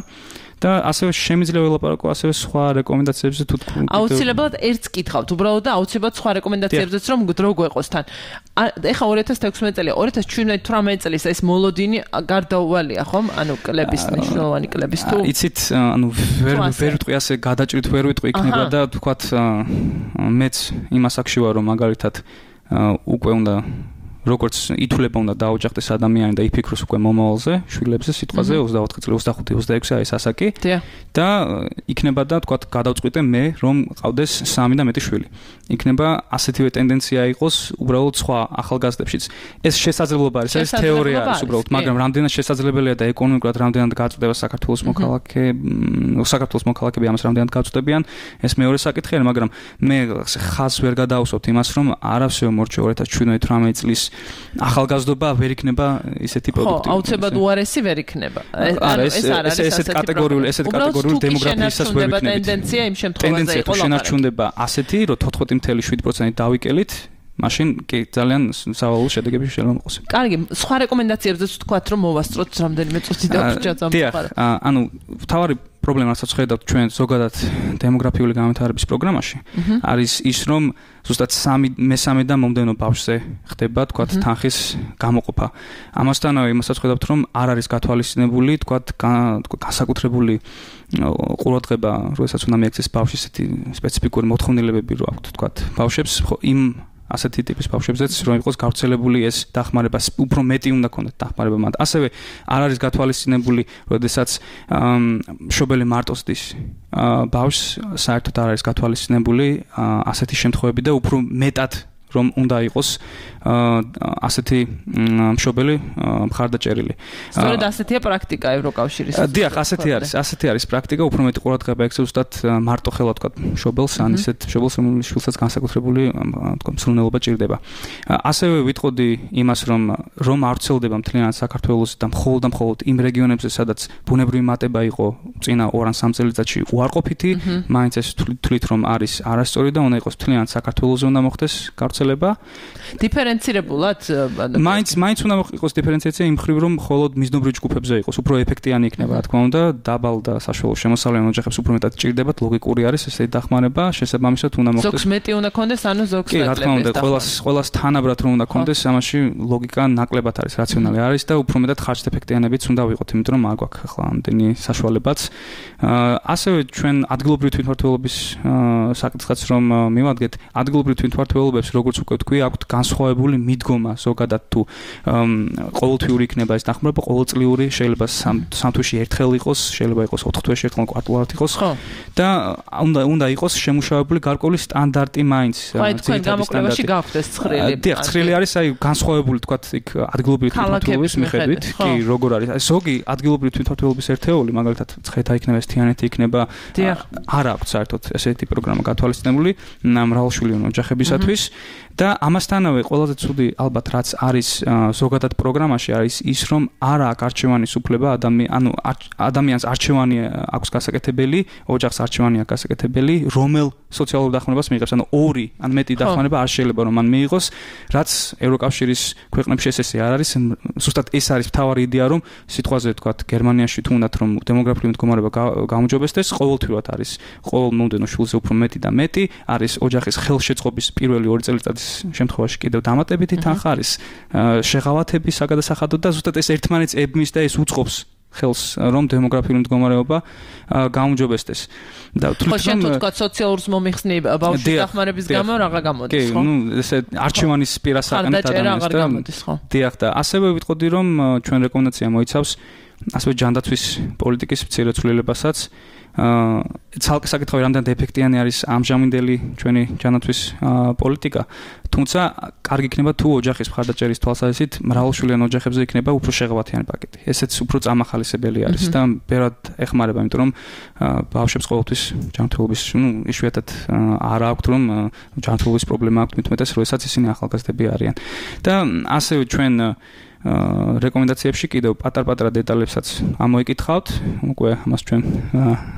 და ასევე შემიძლია ველაპარაკო ასევე სხვა რეკომენდაციებზე თუ თქვენ აუცილებლად ერთს კითხავთ უბრალოდ და აუცილებლად სხვა რეკომენდაციებზეც რომ დრო გვეყოს თან ეხა ორი ათას თექვსმეტი წელი ორი ათას შვიდმეტ წლის ეს მოლოდინი გარდაუვალია ხომ ანუ კლების მნიშვნელოვანი კლების თუ იცით ანუ ვერ ვერ ვიტყვი ასე გადაჭრით ვერ ვიტყვი იქნება და თქვათ მეც იმას აქში ვარ რომ მაგალითად უკვე უნდა როგორც ითვლება უნდა დაუჯახდეს ადამიანი და იფიქროს უკვე მომავალზე, შვილებზე, სიტყვაზე ოცდაოთხი წელი, ოცდახუთი, ოცდაექვსი არის ასაკი და იქნება და თქვათ გადავწყვიტე მე რომ ყავდეს სამი და მეტი შვილი. იქნება ასეთივე ტენდენცია იყოს უბრალოდ სხვა ახალგაზრდებშიც. ეს შესაძლებლობა არის, ეს თეორია არის უბრალოდ, მაგრამ რამდენად შესაძლებელია და ეკონომიკურად რამდენად გაწყვეტება საქართველოს მოქალაქე, საქართველოს მოქალაქეები ამას რამდენად გაწყვეტებიან, ეს მეორე საკითხი არის, მაგრამ მე ხაზს ვერ გადაავსოთ იმას, რომ არავის ვერ მორჩა ორი ათას შვიდმეტ წლის ახალგაზრდობა ვერ იქნება ისეთი პროდუქტი. ხო, აუცილებლად უარესი ვერ იქნება. არა, ეს ეს ესეთ კატეგორიული, ესეთ კატეგორიული დემოგრაფიისას ვერ იქნება. ტენდენცია იმ შემთხვევაში იყო. შენარჩუნდება ასეთი, რომ თოთხმეტი წელი შვიდ პროცენტი დავიკელით, მაშინ კი ძალიან სავალალო შედეგები შეიძლება მოყოს. კარგი, სხვა რეკომენდაციებზეც ვთქვათ, რომ მოვასწროთ რამდენიმე წუთი დაგვრჩა წამოყარა. ანუ თავარი პრობლემა რასაც ხედავთ ჩვენ ზოგადად დემოგრაფიული განვითარების პროგრამაში არის ის რომ ზუსტად სამი მესამე და მომდევნო ბავშვზე ხდება თქვათ თანხის გამოყოფა. ამასთანავე იმასაც ხედავთ რომ არ არის გათვალისწინებული თქვათ განსაკუთრებული ყურადღება როდესაც უნდა მიექცეს ბავშვის ესეთი სპეციფიკური მოთხოვნილებები რო აქვთ თქვათ ბავშვებს იმ ასეთი ტიპის ბავშვებზეც რომ იყოს გავრცელებული ეს დახმარება უფრო მეტი უნდა ქონდეთ დახმარება მათ. ასევე არ არის გათვალისწინებული როდესაც მშობელი მარტოსდის ბავშვს საერთოდ არ არის გათვალისწინებული ასეთი შემთხვევები და უფრო მეტად რომ უნდა იყოს ასეთი მშობელი მხარდაჭერილი. სწორედ ასეთია პრაქტიკა ევროკავშირის. დიახ, ასეთი არის, ასეთი არის პრაქტიკა, უფრო მეტი ყურადღება ექცევს ზუსტად მარტო ხელა თქვა მშობელს, ან ისეთ მშობელს რომელიც შვილსაც განსაკუთრებული თქვა მსურნელობა ჭირდება. ასევე ვიტყოდი იმას, რომ რომ არ ვრცელდება მთლიანად საქართველოს და მხოლოდ და მხოლოდ იმ რეგიონებზე, სადაც ბუნებრივი მატება იყო წინა ორ ან სამ წელიწადში უარყოფითი, მაინც ეს თვლით რომ არის არასწორი და უნდა იყოს მთლიანად საქართველოს უნდა მოხდეს გავრცელება. დიფერენცირებულად მაინც მაინც უნდა იყოს დიფერენციაცია იმ მხრივ რომ მხოლოდ მიზნობრივ ჯგუფებზე იყოს უფრო ეფექტიანი იქნება რა თქმა უნდა დაბალ და საშუალო შემოსავლიან ოჯახებს უფრო მეტად ჭირდებათ ლოგიკური არის ესეთი დახმარება შესაბამისად უნდა მოხდეს ზოგს მეტი უნდა კონდეს ანუ ზოგს კი რა თქმა უნდა ყველას ყველას თანაბრად რომ უნდა კონდეს ამაში ლოგიკა ნაკლებად არის რაციონალი არის და უფრო მეტად ხარჯ-ეფექტიანებიც უნდა ვიყოთ იმიტომ რომ არ გვაქვს ახლა ამდენი საშუალებაც ასევე ჩვენ ადგილობრივი თვითმმართველობის საკითხიც რომ მივადგეთ ადგილობრივი თვითმმართველობებს როგორც უკვე თქვი აქვთ განსხვავებული მიდგომა ზოგადად თუ ყოველთვიური იქნება ეს დახმარება ყოველწლიური შეიძლება სამ თვეში ერთხელ იყოს შეიძლება იყოს ოთხ თვეში ერთხელ კვარტალურად იყოს და უნდა უნდა იყოს შემუშავებული გარკვეული სტანდარტი მაინც თქვენ გამოკვლევაში გაქვთ ეს ცხრილი დიახ ცხრილი არის აი განსხვავებული თქვა იქ ადგილობრივი თვითმმართველობის მიხედვით კი როგორ არის აი ზოგი ადგილობრივი თვითმმართველობის ერთეული მაგალითად ცხეთა იქნება ეს თიანეთი იქნება არ აქვს საერთოდ ესეთი პროგრამა გათვალისწინებული მრავალშვილიანი ოჯახებისათვის და ამასთანავე ყველაზე ცუდი ალბათ რაც არის ზოგადად პროგრამაში არის ის რომ არ აქვს არჩევანის უფლება ადამიან ანუ ადამიანს არჩევანი აქვს გასაკეთებელი ოჯახს არჩევანი აქვს გასაკეთებელი რომელ სოციალურ დახმარებას მიიღებს ანუ ორი ან მეტი დახმარება არ შეიძლება რომ მან მიიღოს რაც ევროკავშირის ქვეყნებში ესე არ არის ზუსტად ეს არის მთავარი იდეა რომ სიტყვაზე ვთქვათ გერმანიაში თუნდაც რომ დემოგრაფიული მდგომარეობა გაუმჯობესდეს ყოველთვიურად არის ყოველ მომდენო შვილზე უფრო მეტი და მეტი არის ოჯახის ხელშეწყობის პირველი ორი წელიწადის შემთხვევაში კიდევ დამატებითი თანხა არის შეღავათების საგადასახადო და ზუსტად ეს ერთმანეთს ებმის და ეს უწყობს ხელს რომ დემოგრაფიული მდგომარეობა გაუმჯობესდეს და თვითონ შენ თუ თქვა სოციალურს მომიხსნი ბავშვის დახმარების გამო რაღა გამოდის ხო? კი, ნუ ესე არჩევანის პირასაკანით ადამიანს და დიახ და ასევე ვიტყოდი რომ ჩვენ რეკომენდაცია მოიცავს ასევე ჯანდაცვის პოლიტიკის მცირე ცვლილებასაც აა ცალკე საკითხი რამდენად ეფექტიანი არის ამჟამინდელი ჩვენი ჯანდაცვის პოლიტიკა თუმცა კარგი იქნება თუ ოჯახის მხარდაჭერის თვალსაზრისით მრავალშვილიან ოჯახებზე იქნება უფრო შეღავათიანი პაკეტი ესეც უფრო წამახალისებელი არის და ბევრად ეხმარება იმიტომ რომ ბავშვებს ყოველთვის ჯანმრთელობის ნუ იშვიათად არ აქვთ რომ ჯანმრთელობის პრობლემა აქვთ მithumetes როდესაც ისინი ახალგაზრდები არიან და ასევე ჩვენ რეკომენდაციებში კიდევ პატარ-პატარა დეტალებსაც ამოიკითხავთ. უკვე ამას ჩვენ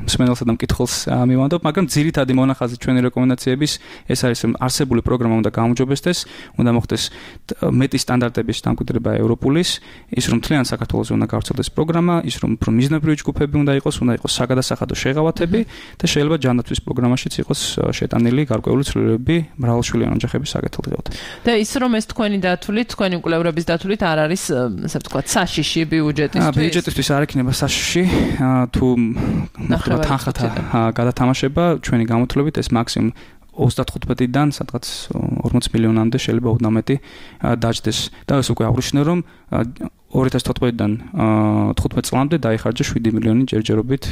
მსმენელსა და მკითხველს მივანდობ, მაგრამ ძირითადი მონახაზი ჩვენი რეკომენდაციების ეს არის რომ არსებული პროგრამა უნდა გაუმჯობესდეს გაუმჯობესდეს, უნდა მოხდეს მეტი სტანდარტების დამკვიდრება ევროპულის, ის რომ მთლიან საქართველოს უნდა გავრცელდეს პროგრამა, ის რომ უფრო მიზნებრივი ჯგუფები უნდა იყოს, უნდა იყოს საგადასახადო შეღავათები და შეიძლება ჯანდაცვის პროგრამაშიც იყოს შეტანილი გარკვეული ცვლილებები მრავალშვილიანი ოჯახების საკეთილდღეოდ. და ის რომ ეს თქვენი დათვლით, თქვენი კვლევრების დათვლით არ არის, ასე ვთქვათ, საშიში ბიუჯეტისთვის. ბიუჯეტისთვის არ იქნება საშიში, თუ მოხდება თანხათა გადათამაშება, ჩვენი გამოთვლებით ეს მაქსიმუმ ოცდათხუთმეტიდან სადღაც ორმოც მილიონამდე შეიძლება ოდნავ მეტი დაჯდეს. და ეს უკვე აღნიშნე რომ ორი ათას თოთხმეტიდან თხუთმეტ წლამდე დაიხარჯა შვიდი მილიონი ჯერჯერობით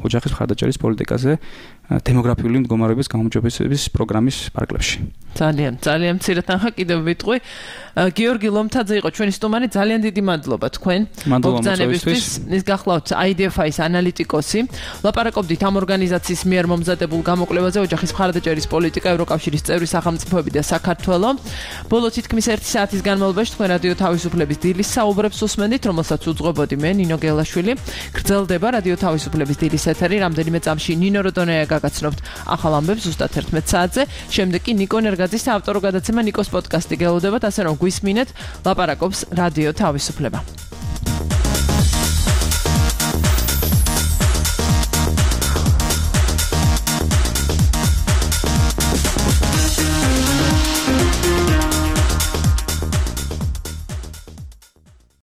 ოჯახის მხარდაჭერის პოლიტიკაზე დემოგრაფიული მდგომარეობის გაუმჯობესების პროგრამის პარკლებში. ძალიან, ძალიან მცირე თანხა კიდევ ვიტყვი. გიორგი ლომთაძე იყო ჩვენი სტუმარი, ძალიან დიდი მადლობა თქვენ მოგზანებისთვის. ის გახლავთ აი დი ეფ აის ანალიტიკოსი. ლაპარაკობდით ამ ორგანიზაციის მიერ მომზადებულ გამოკვლევაზე ოჯახის მხარდაჭერის პოლიტიკა, ევროკავშირის წევრი სახელმწიფოები და საქართველო. ბოლო თითქმის ერთი საათის განმავლობაში თქვენ რადიო თავისუფლების დილის საუბრებს უსმენდით, რომელსაც უძღვებოდი მე, ნინო გელაშვილი. გრძელდება რადიო თავისუფლების დილის ეთერი, რამდენიმე წამში ნინო როდონეა გაგაცნობთ ახალ ამბებს ზუსტად ერთმეტ საათზე. შემდეგ კი ნიკო ნერგაძის საავტორო გადაცემა ნიკოს პოდკასტი გელოდებათ, ასე რომ გვისმინეთ, ლაპარაკობს რადიო თავისუფლება.